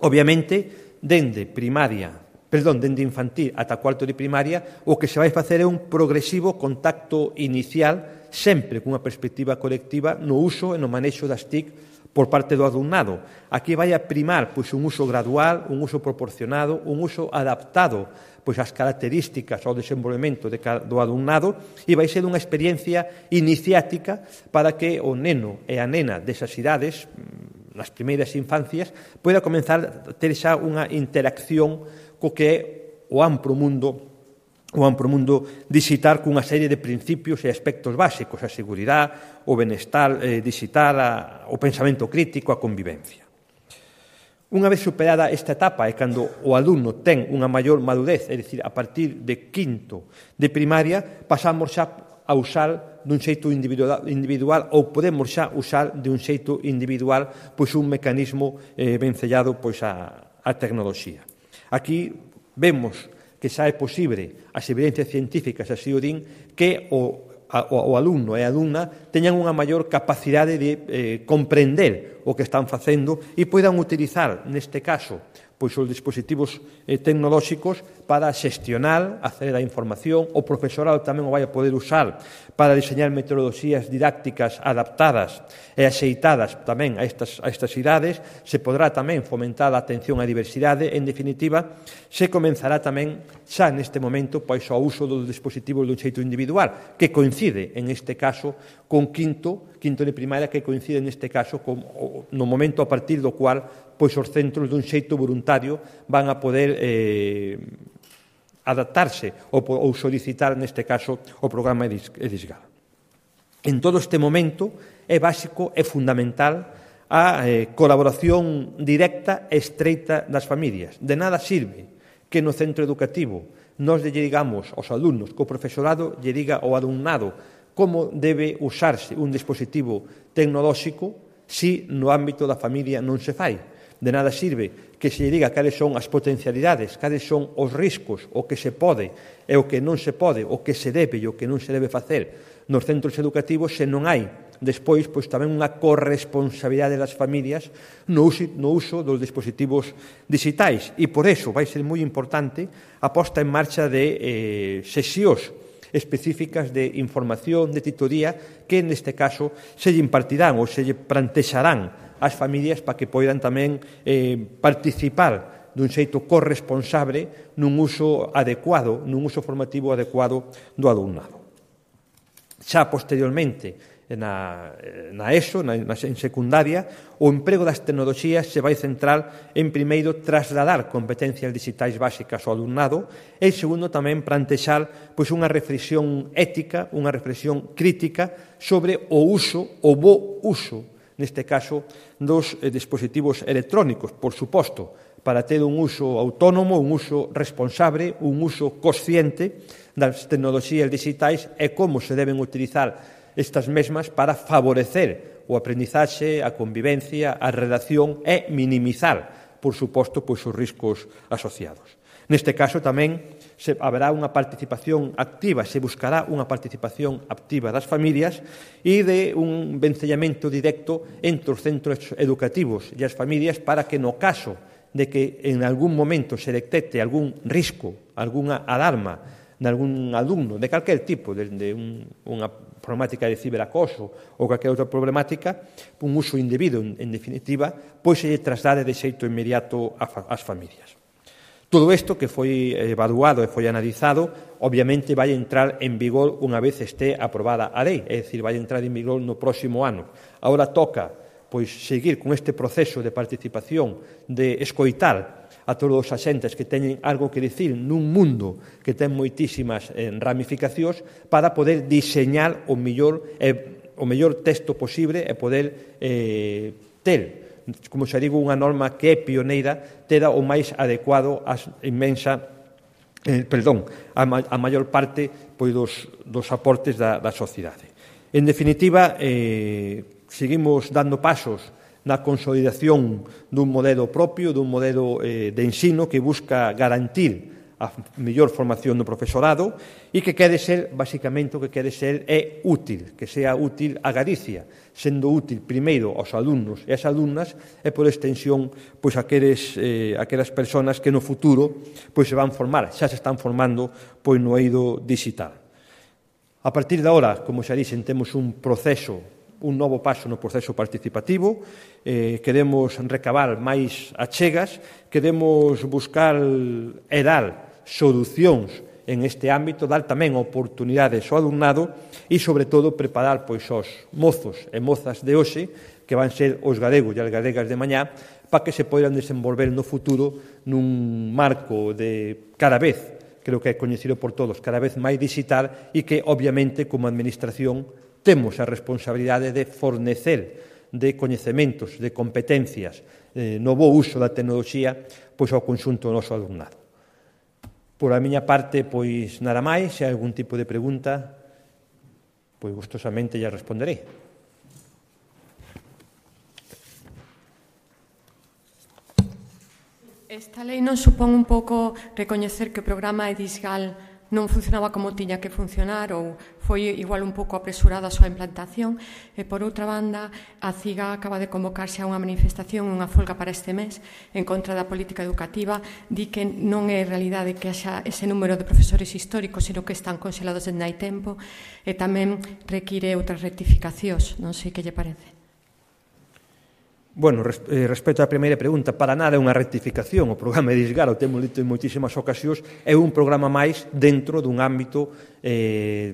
Obviamente, dende primaria perdón, dende infantil ata cuarto de primaria, o que se vai facer é un progresivo contacto inicial, sempre cunha perspectiva colectiva, no uso e no manexo das T I C por parte do alumnado. Aquí vai a primar pois, un uso gradual, un uso proporcionado, un uso adaptado pois, ás características ao desenvolvemento de, do alumnado e vai ser unha experiencia iniciática para que o neno e a nena desas idades, nas primeiras infancias, poida comenzar a ter xa unha interacción co que é o amplo mundo o amplo mundo digital cunha serie de principios e aspectos básicos, a seguridade, o benestar eh, digital, a, o pensamento crítico, a convivencia. Unha vez superada esta etapa e cando o alumno ten unha maior madurez, é dicir, a partir de quinto de primaria, pasamos xa a usar dun xeito individual, individual ou podemos xa usar de un xeito individual pois un mecanismo eh, vencellado pois a, a tecnoloxía. Aquí vemos que xa é posible, as evidencias científicas así o din, que o, a, o alumno e a alumna teñan unha maior capacidade de eh, comprender o que están facendo e poidan utilizar, neste caso, pois os dispositivos eh, tecnolóxicos para xestionar, acceder á información, o profesorado tamén o vai a poder usar para diseñar metodoloxías didácticas adaptadas e axeitadas tamén a estas, a estas idades, se podrá tamén fomentar a atención á diversidade, en definitiva, se comenzará tamén xa neste momento pois ao uso dos dispositivos dun xeito individual, que coincide, en este caso, con quinto, quinto de primaria, que coincide neste caso con, no momento a partir do cual pois os centros dun xeito voluntario van a poder eh, adaptarse ou, ou solicitar, neste caso, o programa EDISGAL. En todo este momento é básico e fundamental a eh, colaboración directa e estreita das familias. De nada sirve que no centro educativo nos lle digamos aos alumnos, que o profesorado lle diga ao alumnado como debe usarse un dispositivo tecnolóxico si no ámbito da familia non se fai. De nada sirve que se lle diga cales son as potencialidades, cales son os riscos, o que se pode e o que non se pode, o que se debe e o que non se debe facer nos centros educativos se non hai despois pois tamén unha corresponsabilidade das familias no uso, no uso dos dispositivos digitais. E por eso vai ser moi importante a posta en marcha de eh, sesións específicas de información, de titoría, que neste caso se lle impartirán ou se lle plantexarán ás familias para que poidan tamén eh, participar dun xeito corresponsable nun uso adecuado, nun uso formativo adecuado do alumnado. Xa posteriormente, na, na ESO, na, na, en secundaria, o emprego das tecnoloxías se vai centrar en, primeiro, trasladar competencias digitais básicas ao alumnado e, segundo, tamén plantexar pois, unha reflexión ética, unha reflexión crítica sobre o uso, o bo uso, neste caso, dos eh, dispositivos electrónicos, por suposto, para ter un uso autónomo, un uso responsable, un uso consciente das tecnoloxías digitais e como se deben utilizar estas mesmas para favorecer o aprendizaxe, a convivencia, a relación e minimizar, por suposto, pois, os riscos asociados. Neste caso tamén se haberá unha participación activa, se buscará unha participación activa das familias e de un vencellamento directo entre os centros educativos e as familias para que no caso de que en algún momento se detecte algún risco, algunha alarma de algún alumno, de calquer tipo, de, de un, unha problemática de ciberacoso ou calquer outra problemática, un uso indebido, en, en definitiva, pois se lle traslade de xeito inmediato ás familias. Todo isto que foi evaluado e foi analizado, obviamente vai entrar en vigor unha vez este aprobada a lei, é dicir, vai entrar en vigor no próximo ano. Agora toca pois seguir con este proceso de participación, de escoitar a todos os axentes que teñen algo que dicir nun mundo que ten moitísimas eh, ramificacións para poder diseñar o mellor, eh, o mellor texto posible e poder eh, ter, como xa digo, unha norma que é pioneira, tera o máis adecuado a inmensa eh, perdón, a, ma, a maior parte pois, dos, dos aportes da, da sociedade. En definitiva, eh, seguimos dando pasos na consolidación dun modelo propio, dun modelo eh, de ensino que busca garantir a mellor formación do profesorado e que quere ser, basicamente, o que quere ser é útil, que sea útil a Galicia, sendo útil primeiro aos alumnos e ás alumnas e por extensión pois aqueles, eh, aquelas persoas que no futuro pois se van formar, xa se están formando pois no eido digital. A partir de agora, como xa dixen, temos un proceso un novo paso no proceso participativo, eh, queremos recabar máis achegas, queremos buscar e dar solucións en este ámbito, dar tamén oportunidades ao alumnado e, sobre todo, preparar pois, os mozos e mozas de hoxe, que van ser os galegos e as galegas de mañá, para que se poidan desenvolver no futuro nun marco de cada vez, creo que é coñecido por todos, cada vez máis digital e que, obviamente, como administración, temos a responsabilidade de fornecer de coñecementos, de competencias, eh, no bo uso da tecnoloxía pois ao conxunto do noso alumnado. Por a miña parte, pois nada máis, se hai algún tipo de pregunta, pois gustosamente lle responderei. Esta lei non supón un pouco recoñecer que o programa EDISGAL non funcionaba como tiña que funcionar ou foi igual un pouco apresurada a súa implantación e, por outra banda, a CIGA acaba de convocarse a unha manifestación, unha folga para este mes en contra da política educativa, di que non é realidade que haxa ese número de profesores históricos, sino que están conxelados en hai tempo e tamén require outras rectificacións. Non sei que lle parece. Bueno, respecto á primeira pregunta, para nada é unha rectificación. O programa EDISGAL, o temos dito en moitísimas ocasións, é un programa máis dentro dun ámbito eh,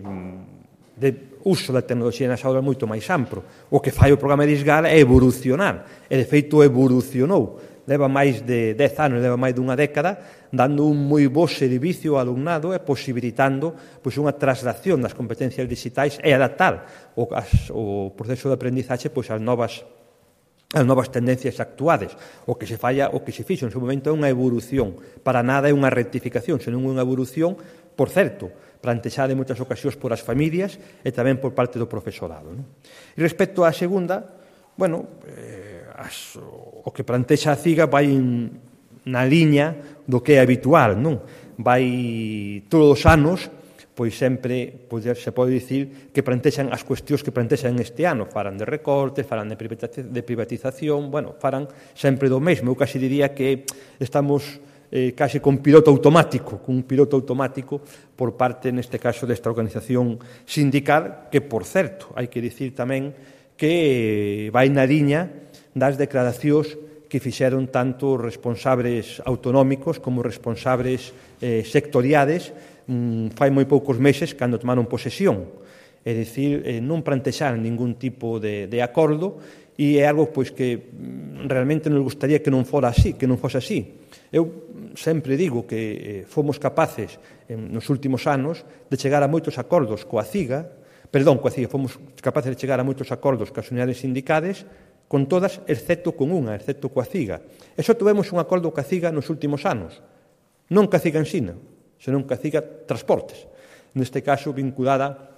de uso da tecnoloxía nas aulas moito máis amplo. O que fai o programa EDISGAL é evolucionar, e de feito evolucionou. Leva máis de dez anos, leva máis dunha década, dando un moi bo servicio ao alumnado e posibilitando pois, unha traslación das competencias digitais e adaptar o, as, o proceso de aprendizaxe pois, ás novas as novas tendencias actuades. O que se falla, o que se fixo en seu momento é unha evolución. Para nada é unha rectificación, senón unha evolución, por certo, plantexada en moitas ocasións por as familias e tamén por parte do profesorado. Non? E respecto á segunda, bueno, eh, as, o que plantexa a CIGA vai en, na liña do que é habitual, non? Vai todos os anos, pois sempre pois, se pode dicir que plantexan as cuestións que plantexan este ano, farán de recortes, farán de privatización, bueno, farán sempre do mesmo. Eu casi diría que estamos eh, casi con piloto automático, con un piloto automático por parte, neste caso, desta organización sindical, que, por certo, hai que dicir tamén que vai na liña das declaracións que fixeron tanto responsables autonómicos como responsables eh, sectoriades mm, fai moi poucos meses cando tomaron posesión. É dicir, eh, non plantexaron ningún tipo de, de acordo e é algo pois, que mm, realmente nos gustaría que non fora así, que non fose así. Eu sempre digo que eh, fomos capaces en, nos últimos anos de chegar a moitos acordos coa CIGA, perdón, coa CIGA, fomos capaces de chegar a moitos acordos coas unidades sindicales, con todas, excepto con unha, excepto coa CIGA. E só tivemos un acordo coa CIGA nos últimos anos. Non coa CIGA Ensina, senón coa CIGA Transportes. Neste caso, vinculada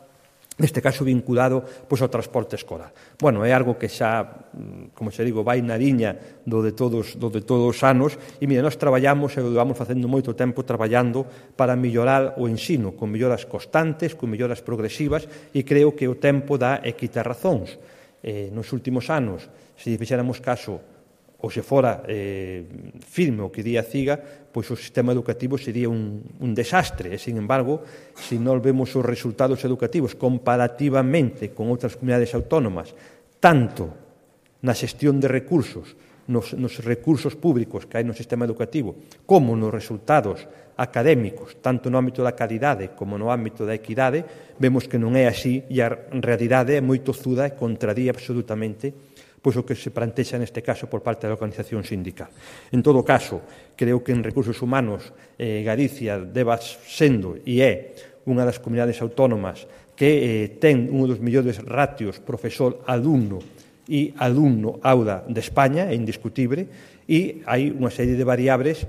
neste caso vinculado pois, ao transporte escolar. Bueno, é algo que xa, como se digo, vai na liña do de todos, do de todos os anos, e, mira, nós traballamos, e vamos facendo moito tempo traballando para mellorar o ensino, con melloras constantes, con melloras progresivas, e creo que o tempo dá e quita razóns. Eh, nos últimos anos, se fixéramos caso ou se fora eh, firme o que di a CIGA, pois o sistema educativo sería un, un desastre. E, sin embargo, se non vemos os resultados educativos comparativamente con outras comunidades autónomas, tanto na xestión de recursos, nos, nos recursos públicos que hai no sistema educativo, como nos resultados académicos, tanto no ámbito da calidade como no ámbito da equidade, vemos que non é así e a realidade é moi tozuda e contradía absolutamente pois o que se plantexa neste caso por parte da organización sindical. En todo caso, creo que en recursos humanos eh, Galicia deba sendo e é unha das comunidades autónomas que eh, ten un dos mellores ratios profesor-alumno e alumno-auda de España, é indiscutible, e hai unha serie de variables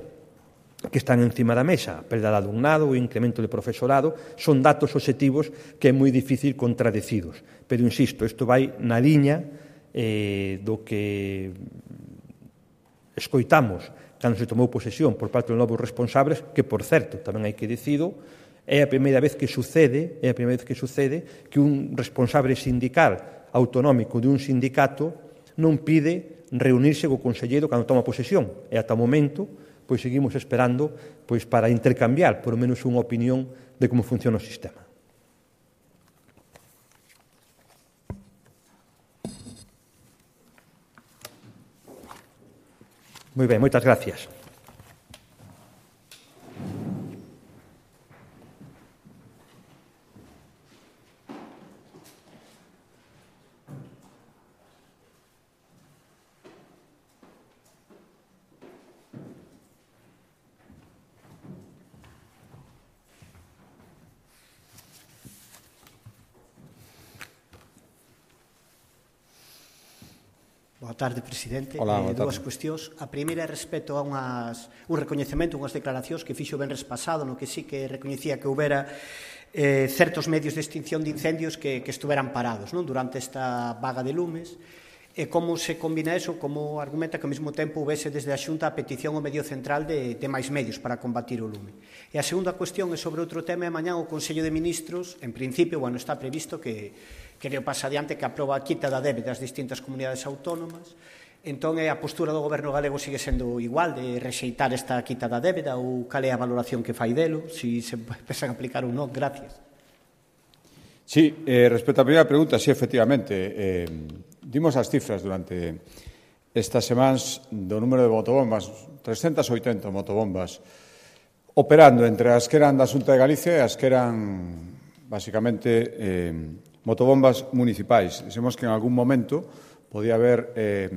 que están encima da mesa, a perda de alumnado, o incremento de profesorado, son datos obxectivos que é moi difícil contradecidos. Pero, insisto, isto vai na liña eh, do que escoitamos cando se tomou posesión por parte dos novos responsables, que, por certo, tamén hai que dicido, é a primeira vez que sucede, é a primeira vez que sucede que un responsable sindical autonómico de un sindicato non pide reunirse co conselleiro cando toma posesión. E ata o momento, pois seguimos esperando pois para intercambiar, por lo menos, unha opinión de como funciona o sistema. Moi ben, moitas gracias. Boa tarde, presidente. Hola, eh, boa dúas tarde. cuestións. A primeira é respecto a unhas, un recoñecemento, unhas declaracións que fixo o venres pasado, no que sí que recoñecía que houbera eh, certos medios de extinción de incendios que, que estuveran parados, non, durante esta vaga de lumes. E como se combina eso, como argumenta que ao mesmo tempo houvese desde a Xunta a petición ao medio central de, de máis medios para combatir o lume. E a segunda cuestión é sobre outro tema, e mañá o Consello de Ministros, en principio, bueno, está previsto que que o pasa adiante que aproba a quita da débeda das distintas comunidades autónomas. Entón, a postura do Goberno galego sigue sendo igual, de rexeitar esta quita da débeda, ou cal é a valoración que fai delo, se se pensan aplicar ou non? Gracias. Sí, eh, respecto á primeira pregunta, sí, efectivamente, eh, dimos as cifras durante estas semanas do número de motobombas, trescentas e oitenta motobombas, operando entre as que eran da Xunta de Galicia e as que eran, basicamente, eh, motobombas municipais. Dixemos que en algún momento podía haber eh,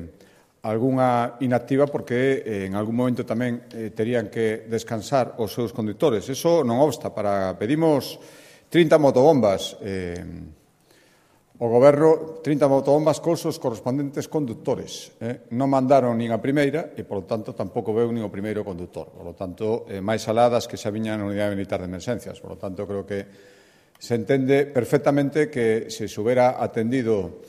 algunha inactiva porque eh, en algún momento tamén eh, terían que descansar os seus condutores. Eso non obsta. Para pedimos trinta motobombas. Eh, O Goberno, trinta motobombas cos os correspondentes conductores. Eh? Non mandaron nin a primeira e, polo tanto, tampouco veu nin o primeiro conductor. Por lo tanto, eh, máis aladas que xa viñan na Unidade Militar de Emergencias. Por lo tanto, creo que se entende perfectamente que se se hubiera atendido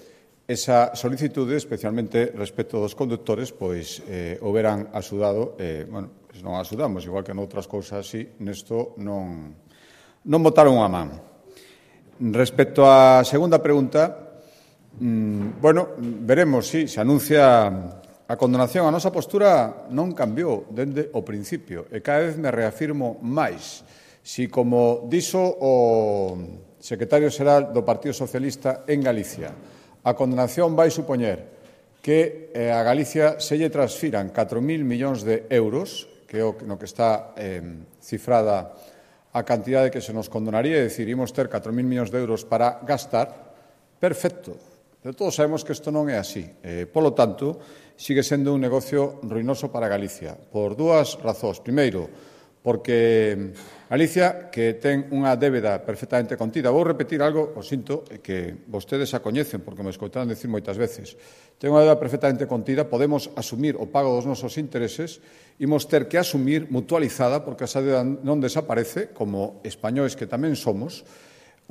esa solicitude, especialmente respecto dos conductores, pois eh, houberan axudado, eh, bueno, pois non axudamos, igual que noutras cousas así, nesto non, non botaron unha man. Respecto á segunda pregunta, mmm, bueno, veremos, si, sí, se anuncia a condenación. A nosa postura non cambiou dende o principio e cada vez me reafirmo máis. Si, como dixo o secretario xeral do Partido Socialista en Galicia, a condenación vai supoñer que eh, a Galicia se lle transfiran catro mil millóns de euros, que é o no que está eh, cifrada a cantidade que se nos condonaría, é dicir, imos ter catro mil millóns de euros para gastar, perfecto. Pero todos sabemos que isto non é así. Eh, polo tanto, sigue sendo un negocio ruinoso para Galicia, por dúas razóns. Primeiro, porque Galicia, que ten unha débeda perfectamente contida, vou repetir algo, o sinto, que vostedes a coñecen, porque me escoitaron decir moitas veces, ten unha débeda perfectamente contida, podemos asumir o pago dos nosos intereses, imos ter que asumir mutualizada, porque esa débeda non desaparece, como españois que tamén somos,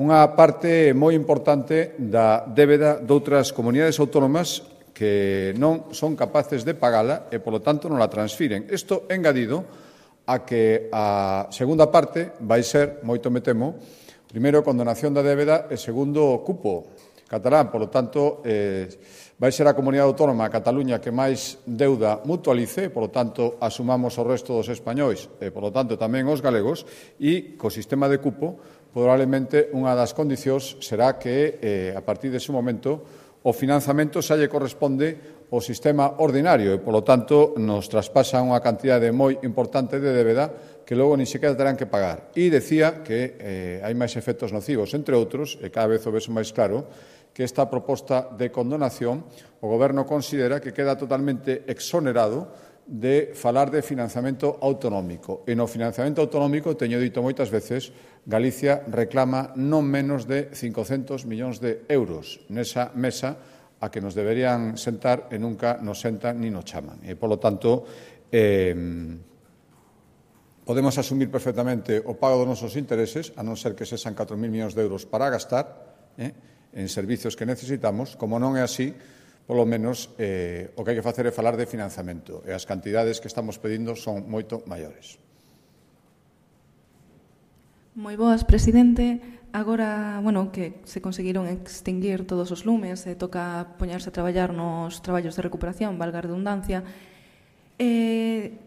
unha parte moi importante da débeda doutras comunidades autónomas que non son capaces de pagala e, polo tanto, non la transfiren. Isto engadido a que a segunda parte vai ser, moito me temo, primeiro, condonación da débeda e segundo, cupo catalán. Por lo tanto, eh, vai ser a comunidade autónoma, a Cataluña, que máis deuda mutualice, por lo tanto, asumamos o resto dos españois e, por lo tanto, tamén os galegos, e, co sistema de cupo, probablemente unha das condicións será que, eh, a partir dese momento, o financiamento xa lle corresponde ao sistema ordinario e, polo tanto, nos traspasa unha cantidade moi importante de débeda que logo ni sequera terán que pagar. E decía que eh, hai máis efectos nocivos, entre outros, e cada vez o ves máis claro, que esta proposta de condonación o Goberno considera que queda totalmente exonerado de falar de financiamento autonómico. E no financiamento autonómico, teño dito moitas veces, Galicia reclama non menos de cincocentos millóns de euros nesa mesa a que nos deberían sentar e nunca nos sentan ni nos chaman. E, polo tanto, eh, podemos asumir perfectamente o pago dos nosos intereses, a non ser que sexan catro mil millóns de euros para gastar eh, en servicios que necesitamos. Como non é así, polo menos eh, o que hai que facer é falar de financiamento e as cantidades que estamos pedindo son moito maiores. Moi boas, presidente. Agora, bueno, que se conseguiron extinguir todos os lumes e toca poñerse a traballar nos traballos de recuperación, valga a redundancia, eh,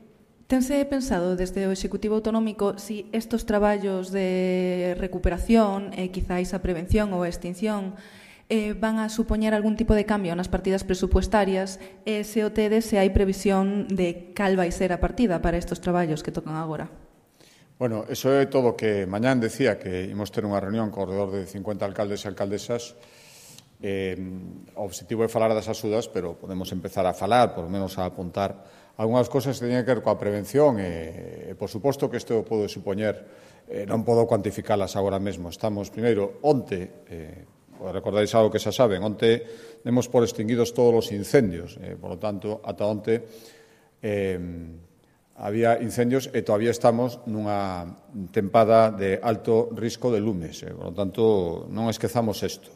tense pensado desde o Executivo Autonómico si estes traballos de recuperación e quizáis a prevención ou a extinción eh, van a supoñer algún tipo de cambio nas partidas presupuestarias e se o tedes se hai previsión de cal vai ser a partida para estes traballos que tocan agora? Bueno, eso é todo o que mañán decía que imos ter unha reunión con alrededor de cincuenta alcaldes e alcaldesas. Eh, o objetivo é falar das axudas, pero podemos empezar a falar, por lo menos a apuntar algunhas cosas que teñen que ver coa prevención e, e por suposto que isto pode supoñer, eh, non podo cuantificalas agora mesmo. Estamos, primeiro, onte, eh, recordáis algo que xa saben, onte demos por extinguidos todos os incendios, eh, por lo tanto, ata onte eh, había incendios e todavía estamos nunha tempada de alto risco de lumes. Eh, por lo tanto, non esquezamos isto.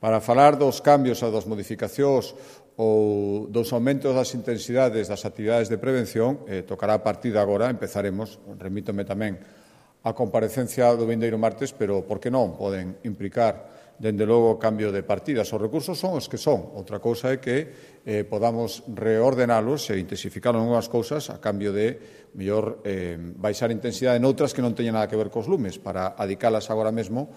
Para falar dos cambios ou das modificacións ou dos aumentos das intensidades das actividades de prevención, eh, tocará a partir de agora, empezaremos, remítome tamén a comparecencia do vindeiro martes, pero por que non poden implicar dende logo o cambio de partidas. Os recursos son os que son. Outra cousa é que eh, podamos reordenalos e intensificar algunhas cousas a cambio de mellor eh, baixar a intensidade noutras que non teñen nada que ver cos lumes para adicalas agora mesmo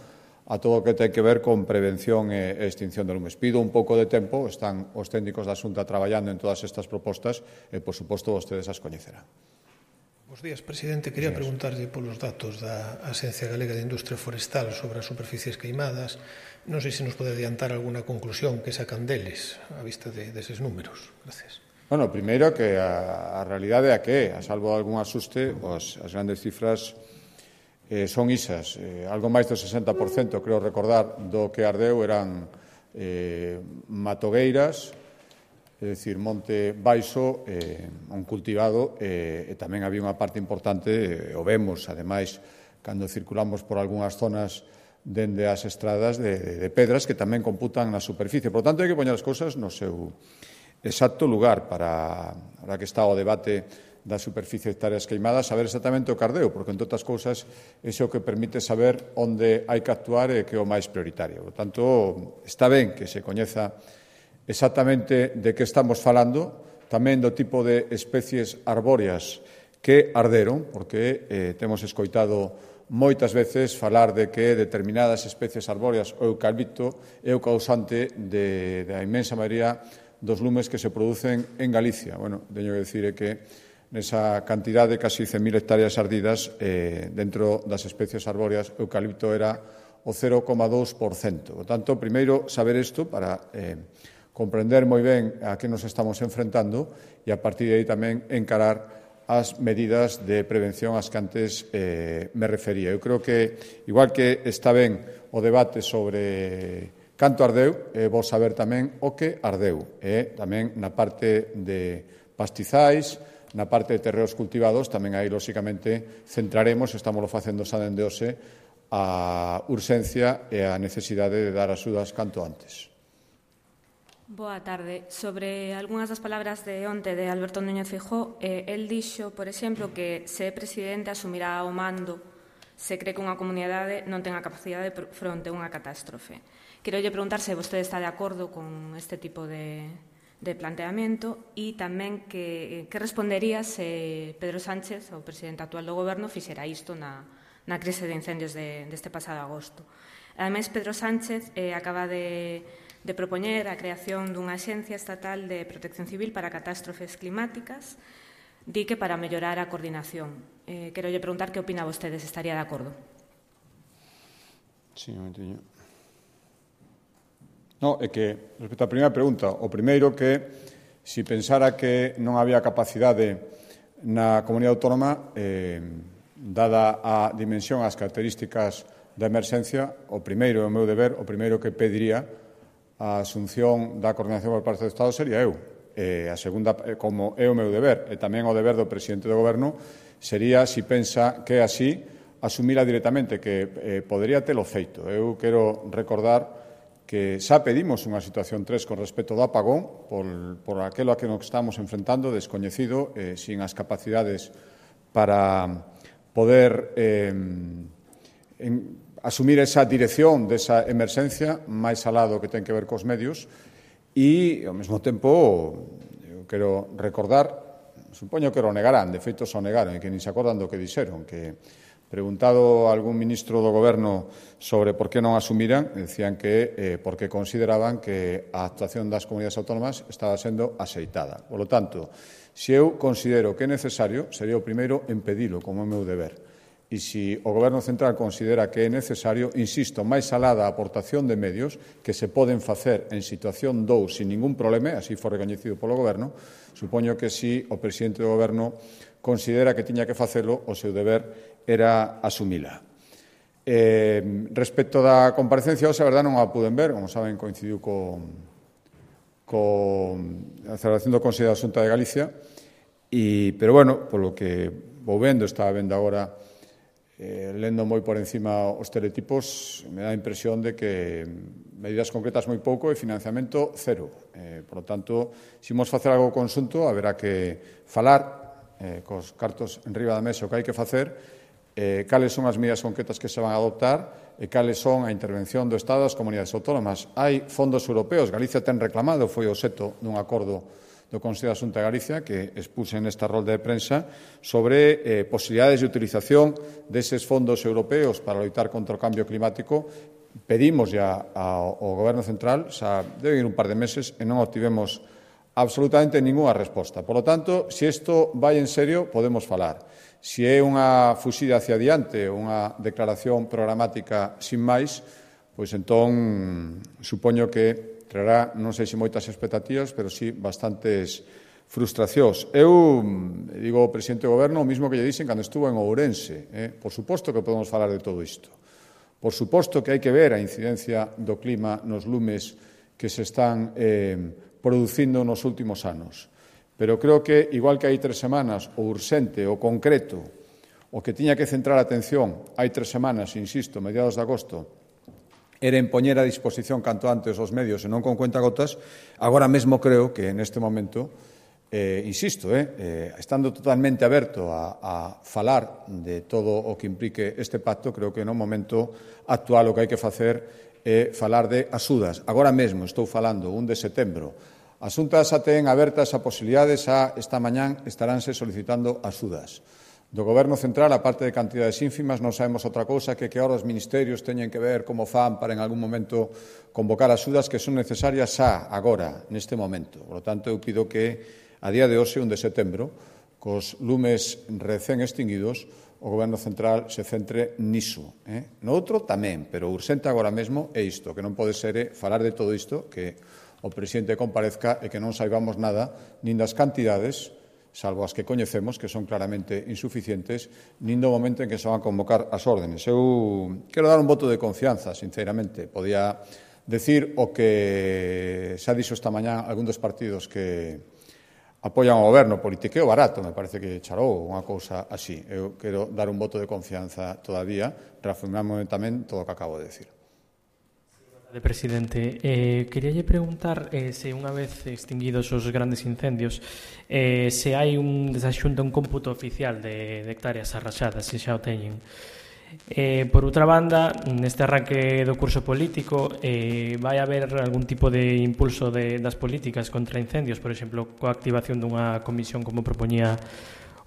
a todo o que ten que ver con prevención e extinción de lumes. Pido un pouco de tempo, están os técnicos da Xunta traballando en todas estas propostas e, por suposto, vostedes as coñecerán. Bos días, presidente. Quería preguntarlle polos datos da Axencia Galega de Industria Forestal sobre as superficies queimadas. Non sei se nos pode adiantar alguna conclusión que sacan deles a vista de, deses números. Gracias. Bueno, primeiro que a, a realidade é a que é, a salvo algún asuste, as, as grandes cifras eh, son isas. Eh, algo máis do sesenta por cento, creo recordar, do que ardeu eran eh, matogueiras, é dicir, monte baixo, eh, un cultivado, eh, e tamén había unha parte importante, eh, o vemos, ademais, cando circulamos por algunhas zonas dende as estradas de, de pedras que tamén computan na superficie. Por tanto, hai que poñer as cousas no seu exacto lugar para, para que está o debate da superficie de hectáreas queimadas, saber exactamente o cardeo, porque, entre outras cousas, ese é o que permite saber onde hai que actuar e que é o máis prioritario. Por tanto, está ben que se coñeza exactamente de que estamos falando, tamén do tipo de especies arbóreas que arderon, porque eh, temos escoitado moitas veces falar de que determinadas especies arbóreas, o eucalipto, é o causante de, da inmensa maioría dos lumes que se producen en Galicia. Bueno, teño que dicir que nesa cantidad de casi cen mil hectáreas ardidas, eh, dentro das especies arbóreas, o eucalipto era o cero coma dous por cento. Por tanto, primeiro, saber isto para eh, comprender moi ben a que nos estamos enfrentando e, a partir de aí, tamén encarar as medidas de prevención ás que antes eh, me refería. Eu creo que, igual que está ben o debate sobre canto ardeu, é bo saber tamén o que ardeu. E tamén na parte de pastizais, na parte de terreos cultivados, tamén aí, lóxicamente, centraremos, estamos facendo xa dende hoxe, a urxencia e a necesidade de dar axudas canto antes. Boa tarde. Sobre algunhas das palabras de onte de Alberto Núñez Feijóo, eh, el dixo, por exemplo, que se é presidente asumirá o mando se cree que unha comunidade non ten a capacidade fronte a unha catástrofe. Quero lle preguntar se vostede está de acordo con este tipo de, de planteamento e tamén que, que respondería se Pedro Sánchez, o presidente actual do Goberno, fixera isto na, na crise de incendios de, deste pasado agosto. Ademais, Pedro Sánchez eh, acaba de de propoñer a creación dunha Axencia Estatal de Protección Civil para Catástrofes Climáticas, di que para mellorar a coordinación. Eh, quero lle preguntar que opina vostede, se estaría de acordo. Sí, un momentinho. No, é que, respecto á primeira pregunta, o primeiro que, se pensara que non había capacidade na comunidade autónoma, eh, dada a dimensión, as características da emerxencia, o primeiro, o meu deber, o primeiro que pediría a asunción da coordinación por parte do Estado sería eu. E a segunda, como é o meu deber, e tamén o deber do presidente do Goberno, sería, se pensa que é así, asumila directamente, que eh, podería telo feito. Eu quero recordar que xa pedimos unha situación tres con respecto do apagón, por, por aquelo a que nos estamos enfrentando, descoñecido, eh, sin as capacidades para poder eh, en, asumir esa dirección desa emerxencia máis alado que ten que ver cos medios e, ao mesmo tempo, eu quero recordar, supoño que o negarán, de feito o negaron, e que nin se acordan do que dixeron, que preguntado a algún ministro do Goberno sobre por que non asumiran, decían que eh, porque consideraban que a actuación das comunidades autónomas estaba sendo axeitada. Por lo tanto, se eu considero que é necesario, sería o primeiro en pedilo, como é o meu deber. E se o Goberno Central considera que é necesario, insisto, máis alá da aportación de medios que se poden facer en situación dous sin ningún problema, así foi recoñecido polo Goberno, supoño que se o presidente do Goberno considera que tiña que facelo, o seu deber era asumila. Eh, respecto da comparecencia, hoxe, a verdade, non a puden ver, como saben, coincidiu con, con a celebración do Consello da Xunta de Galicia, e, pero, bueno, polo que vou vendo, estaba vendo agora, Eh, lendo moi por encima os teletipos, me dá a impresión de que medidas concretas moi pouco e financiamento cero. Eh, por lo tanto, se imos facer algo conxunto, haberá que falar eh, cos cartos en riba da mesa o que hai que facer, eh, cales son as medidas concretas que se van a adoptar e cales son a intervención do Estado das comunidades autónomas. Hai fondos europeos, Galicia ten reclamado, foi o seto dun acordo do Consello da Xunta de Galicia, que expuse nesta rolda de prensa, sobre eh, posibilidades de utilización deses fondos europeos para loitar contra o cambio climático. Pedimos ya ao, ao Goberno Central, xa debe ir un par de meses, e non obtivemos absolutamente ninguna resposta. Por lo tanto, se isto vai en serio, podemos falar. Se é unha fuxida hacia adiante, unha declaración programática sin máis, pois entón supoño que traerá, non sei se moitas expectativas, pero sí bastantes frustracións. Eu digo ao presidente do Goberno o mismo que lle dixen cando estuvo en Ourense. Eh? Por suposto que podemos falar de todo isto. Por suposto que hai que ver a incidencia do clima nos lumes que se están eh, producindo nos últimos anos. Pero creo que, igual que hai tres semanas, o urxente, o concreto, o que tiña que centrar a atención hai tres semanas, insisto, mediados de agosto, era en poñer a disposición canto antes os medios e non con cuentagotas, agora mesmo creo que neste momento, eh, insisto, eh, eh, estando totalmente aberto a, a falar de todo o que implique este pacto, creo que no momento actual o que hai que facer é falar de axudas. Agora mesmo estou falando, un de setembro. As xuntas xa ten abertas a posibilidades, a esta mañán estaránse solicitando axudas. Do Goberno central, a parte de cantidades ínfimas, non sabemos outra cousa que que ahora os ministerios teñen que ver como fan para en algún momento convocar axudas que son necesarias xa, agora, neste momento. Por lo tanto, eu pido que a día de hoxe, un de setembro, cos lumes recén extinguidos, o Goberno central se centre niso. Eh? No outro tamén, pero urxente agora mesmo é isto, que non pode ser é falar de todo isto, que o presidente comparezca e que non saibamos nada nin das cantidades, salvo as que coñecemos, que son claramente insuficientes, nin do momento en que se van a convocar as órdenes. Eu quero dar un voto de confianza, sinceramente. Podía decir o que xa dixo esta mañá algún dos partidos que apoian o goberno, politiqueo barato, me parece que charou unha cousa así. Eu quero dar un voto de confianza todavía, reafirmando tamén todo o que acabo de decir. De presidente, eh, queríalle preguntar eh, se unha vez extinguidos os grandes incendios eh, se hai un desaxunto, un cómputo oficial de, de hectáreas arrasadas, se xa o teñen. Eh, por outra banda, neste arranque do curso político eh, vai haber algún tipo de impulso de, das políticas contra incendios, por exemplo, coa activación dunha comisión como propoñía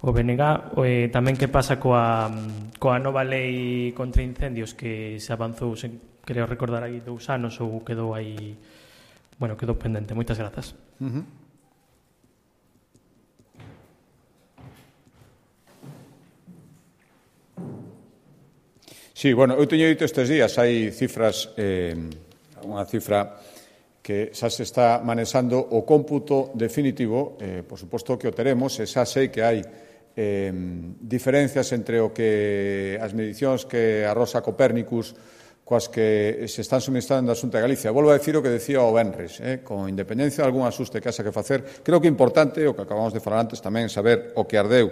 o B N G, eh, tamén que pasa coa, coa nova lei contra incendios que se avanzou, se, creo recordar aí dous anos ou quedou aí, bueno, quedou pendente. Moitas grazas. Uh-huh. Sí, bueno, eu teño dito estes días, hai cifras, eh, unha cifra que xa se está manexando o cómputo definitivo, eh, por suposto que o teremos, e xa sei que hai eh, diferencias entre o que as medicións que arrosa Copérnicus coas que se están suministrando da Xunta de Galicia. Volvo a decir o que decía o Benres, eh, con independencia de algún asuste que haxa que facer, creo que é importante, o que acabamos de falar antes, tamén saber o que ardeu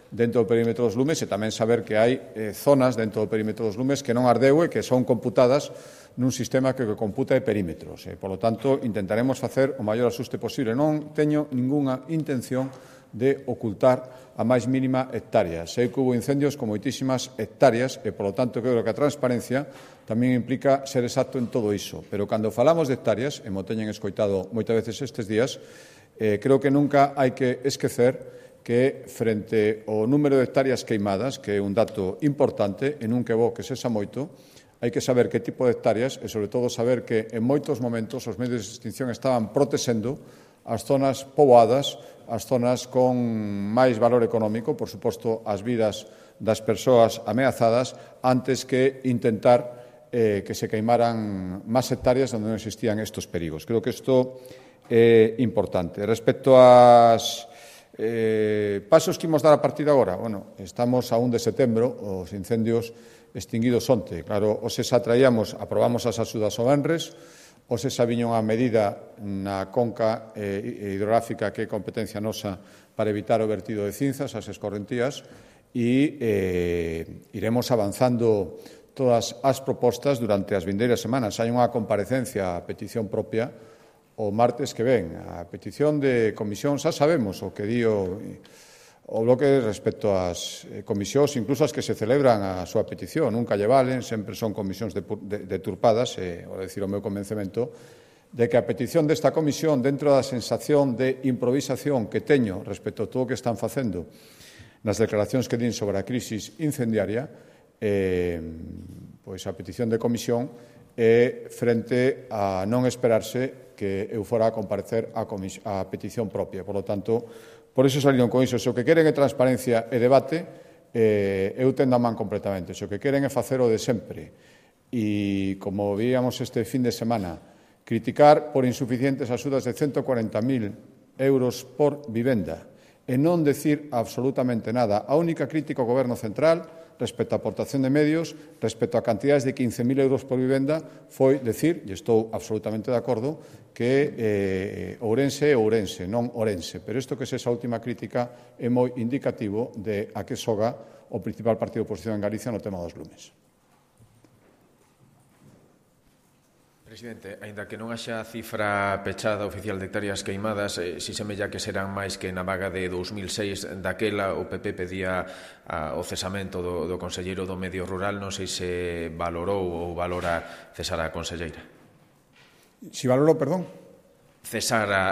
dentro do perímetro dos lumes e tamén saber que hai eh, zonas dentro do perímetro dos lumes que non ardeu e que son computadas nun sistema que, que computa de perímetros. Eh. Por lo tanto, intentaremos facer o maior asuste posible. Non teño ningunha intención de ocultar a máis mínima hectárea. Sei que hubo incendios con moitísimas hectáreas e, por lo tanto, creo que a transparencia tamén implica ser exacto en todo iso. Pero cando falamos de hectáreas, e mo teñen escoitado moitas veces estes días, eh, creo que nunca hai que esquecer que frente ao número de hectáreas queimadas, que é un dato importante, e non que bo que sexa moito, hai que saber que tipo de hectáreas e, sobre todo, saber que en moitos momentos os medios de extinción estaban protexendo as zonas poboadas, as zonas con máis valor económico, por suposto, as vidas das persoas ameazadas, antes que intentar eh, que se queimaran máis hectáreas onde non existían estos perigos. Creo que isto é importante. Respecto ás Eh, pasos que imos dar a partir de agora? Bueno, estamos a un de setembro, os incendios extinguidos onte. Claro, hoxe xa traíamos, aprobamos as axudas ao Benres, hoxe xa viña unha medida na conca eh, hidrográfica que é competencia nosa para evitar o vertido de cinzas, as escorrentías, e eh, iremos avanzando todas as propostas durante as vindeiras semanas. Hai unha comparecencia a petición propia o martes que ven. A petición de comisión, xa sabemos o que di o, o bloque respecto ás comisións, incluso as que se celebran a súa petición. Nunca lle valen, sempre son comisións deturpadas, e, ao decir o meu convencemento, de que a petición desta comisión, dentro da sensación de improvisación que teño respecto a todo o que están facendo nas declaracións que din sobre a crisis incendiaria, eh, pois a petición de comisión é frente a non esperarse que eu fora a comparecer a, a petición propia. Por lo tanto, por iso saliron con iso. Se o que queren é transparencia e debate, eh, eu tendo a man completamente. Se o que queren é facer o de sempre. E, como víamos este fin de semana, criticar por insuficientes axudas de ciento cuarenta mil euros por vivenda e non decir absolutamente nada. A única crítica ao Goberno central respecto á aportación de medios, respecto a cantidades de quince mil euros por vivenda, foi decir, e estou absolutamente de acordo, que eh, Ourense é Ourense, non Orense. Pero isto que é esa última crítica é moi indicativo de a que xoga o principal partido de oposición en Galicia no tema dos lumes. Presidente, aínda que non haxa cifra pechada oficial de hectáreas queimadas, eh, si semella que serán máis que na vaga de dous mil seis, daquela o P P pedía a, o cesamento do, do conselleiro do Medio Rural, non sei se valorou ou valora cesar a conselleira. Si valorou, perdón? Cesar a,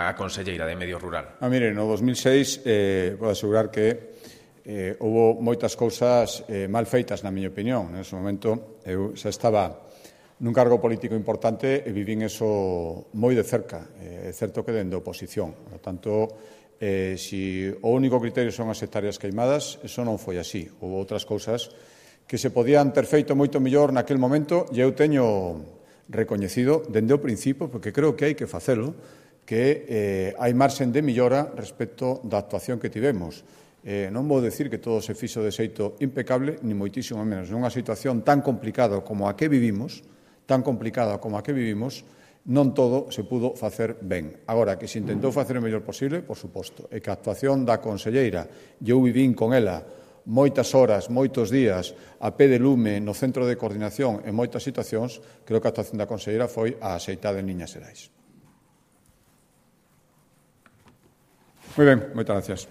a conselleira de Medio Rural. Ah, mire, no dos mil seis, eh, podo asegurar que eh, houve moitas cousas eh, mal feitas, na miña opinión. Nese momento, eu xa estaba nun cargo político importante e vivín eso moi de cerca. É certo que dende a oposición. Por tanto, eh, si o único criterio son as hectáreas queimadas, eso non foi así. Houve outras cousas que se podían ter feito moito mellor naquel momento e eu teño recoñecido dende o principio, porque creo que hai que facelo, que eh, hai marxen de millora respecto da actuación que tivemos. Eh, non vou decir que todo se fixo de xeito impecable, ni moitísimo menos. Nunha situación tan complicada como a que vivimos, tan complicada como a que vivimos, non todo se pudo facer ben. Agora, que se intentou facer o mellor posible, por suposto, e que a actuación da conselleira, eu vivín con ela moitas horas, moitos días, a pé de lume, no centro de coordinación, en moitas situacións, creo que a actuación da conselleira foi a axeitada en liñas xerais. Moi ben, moitas gracias.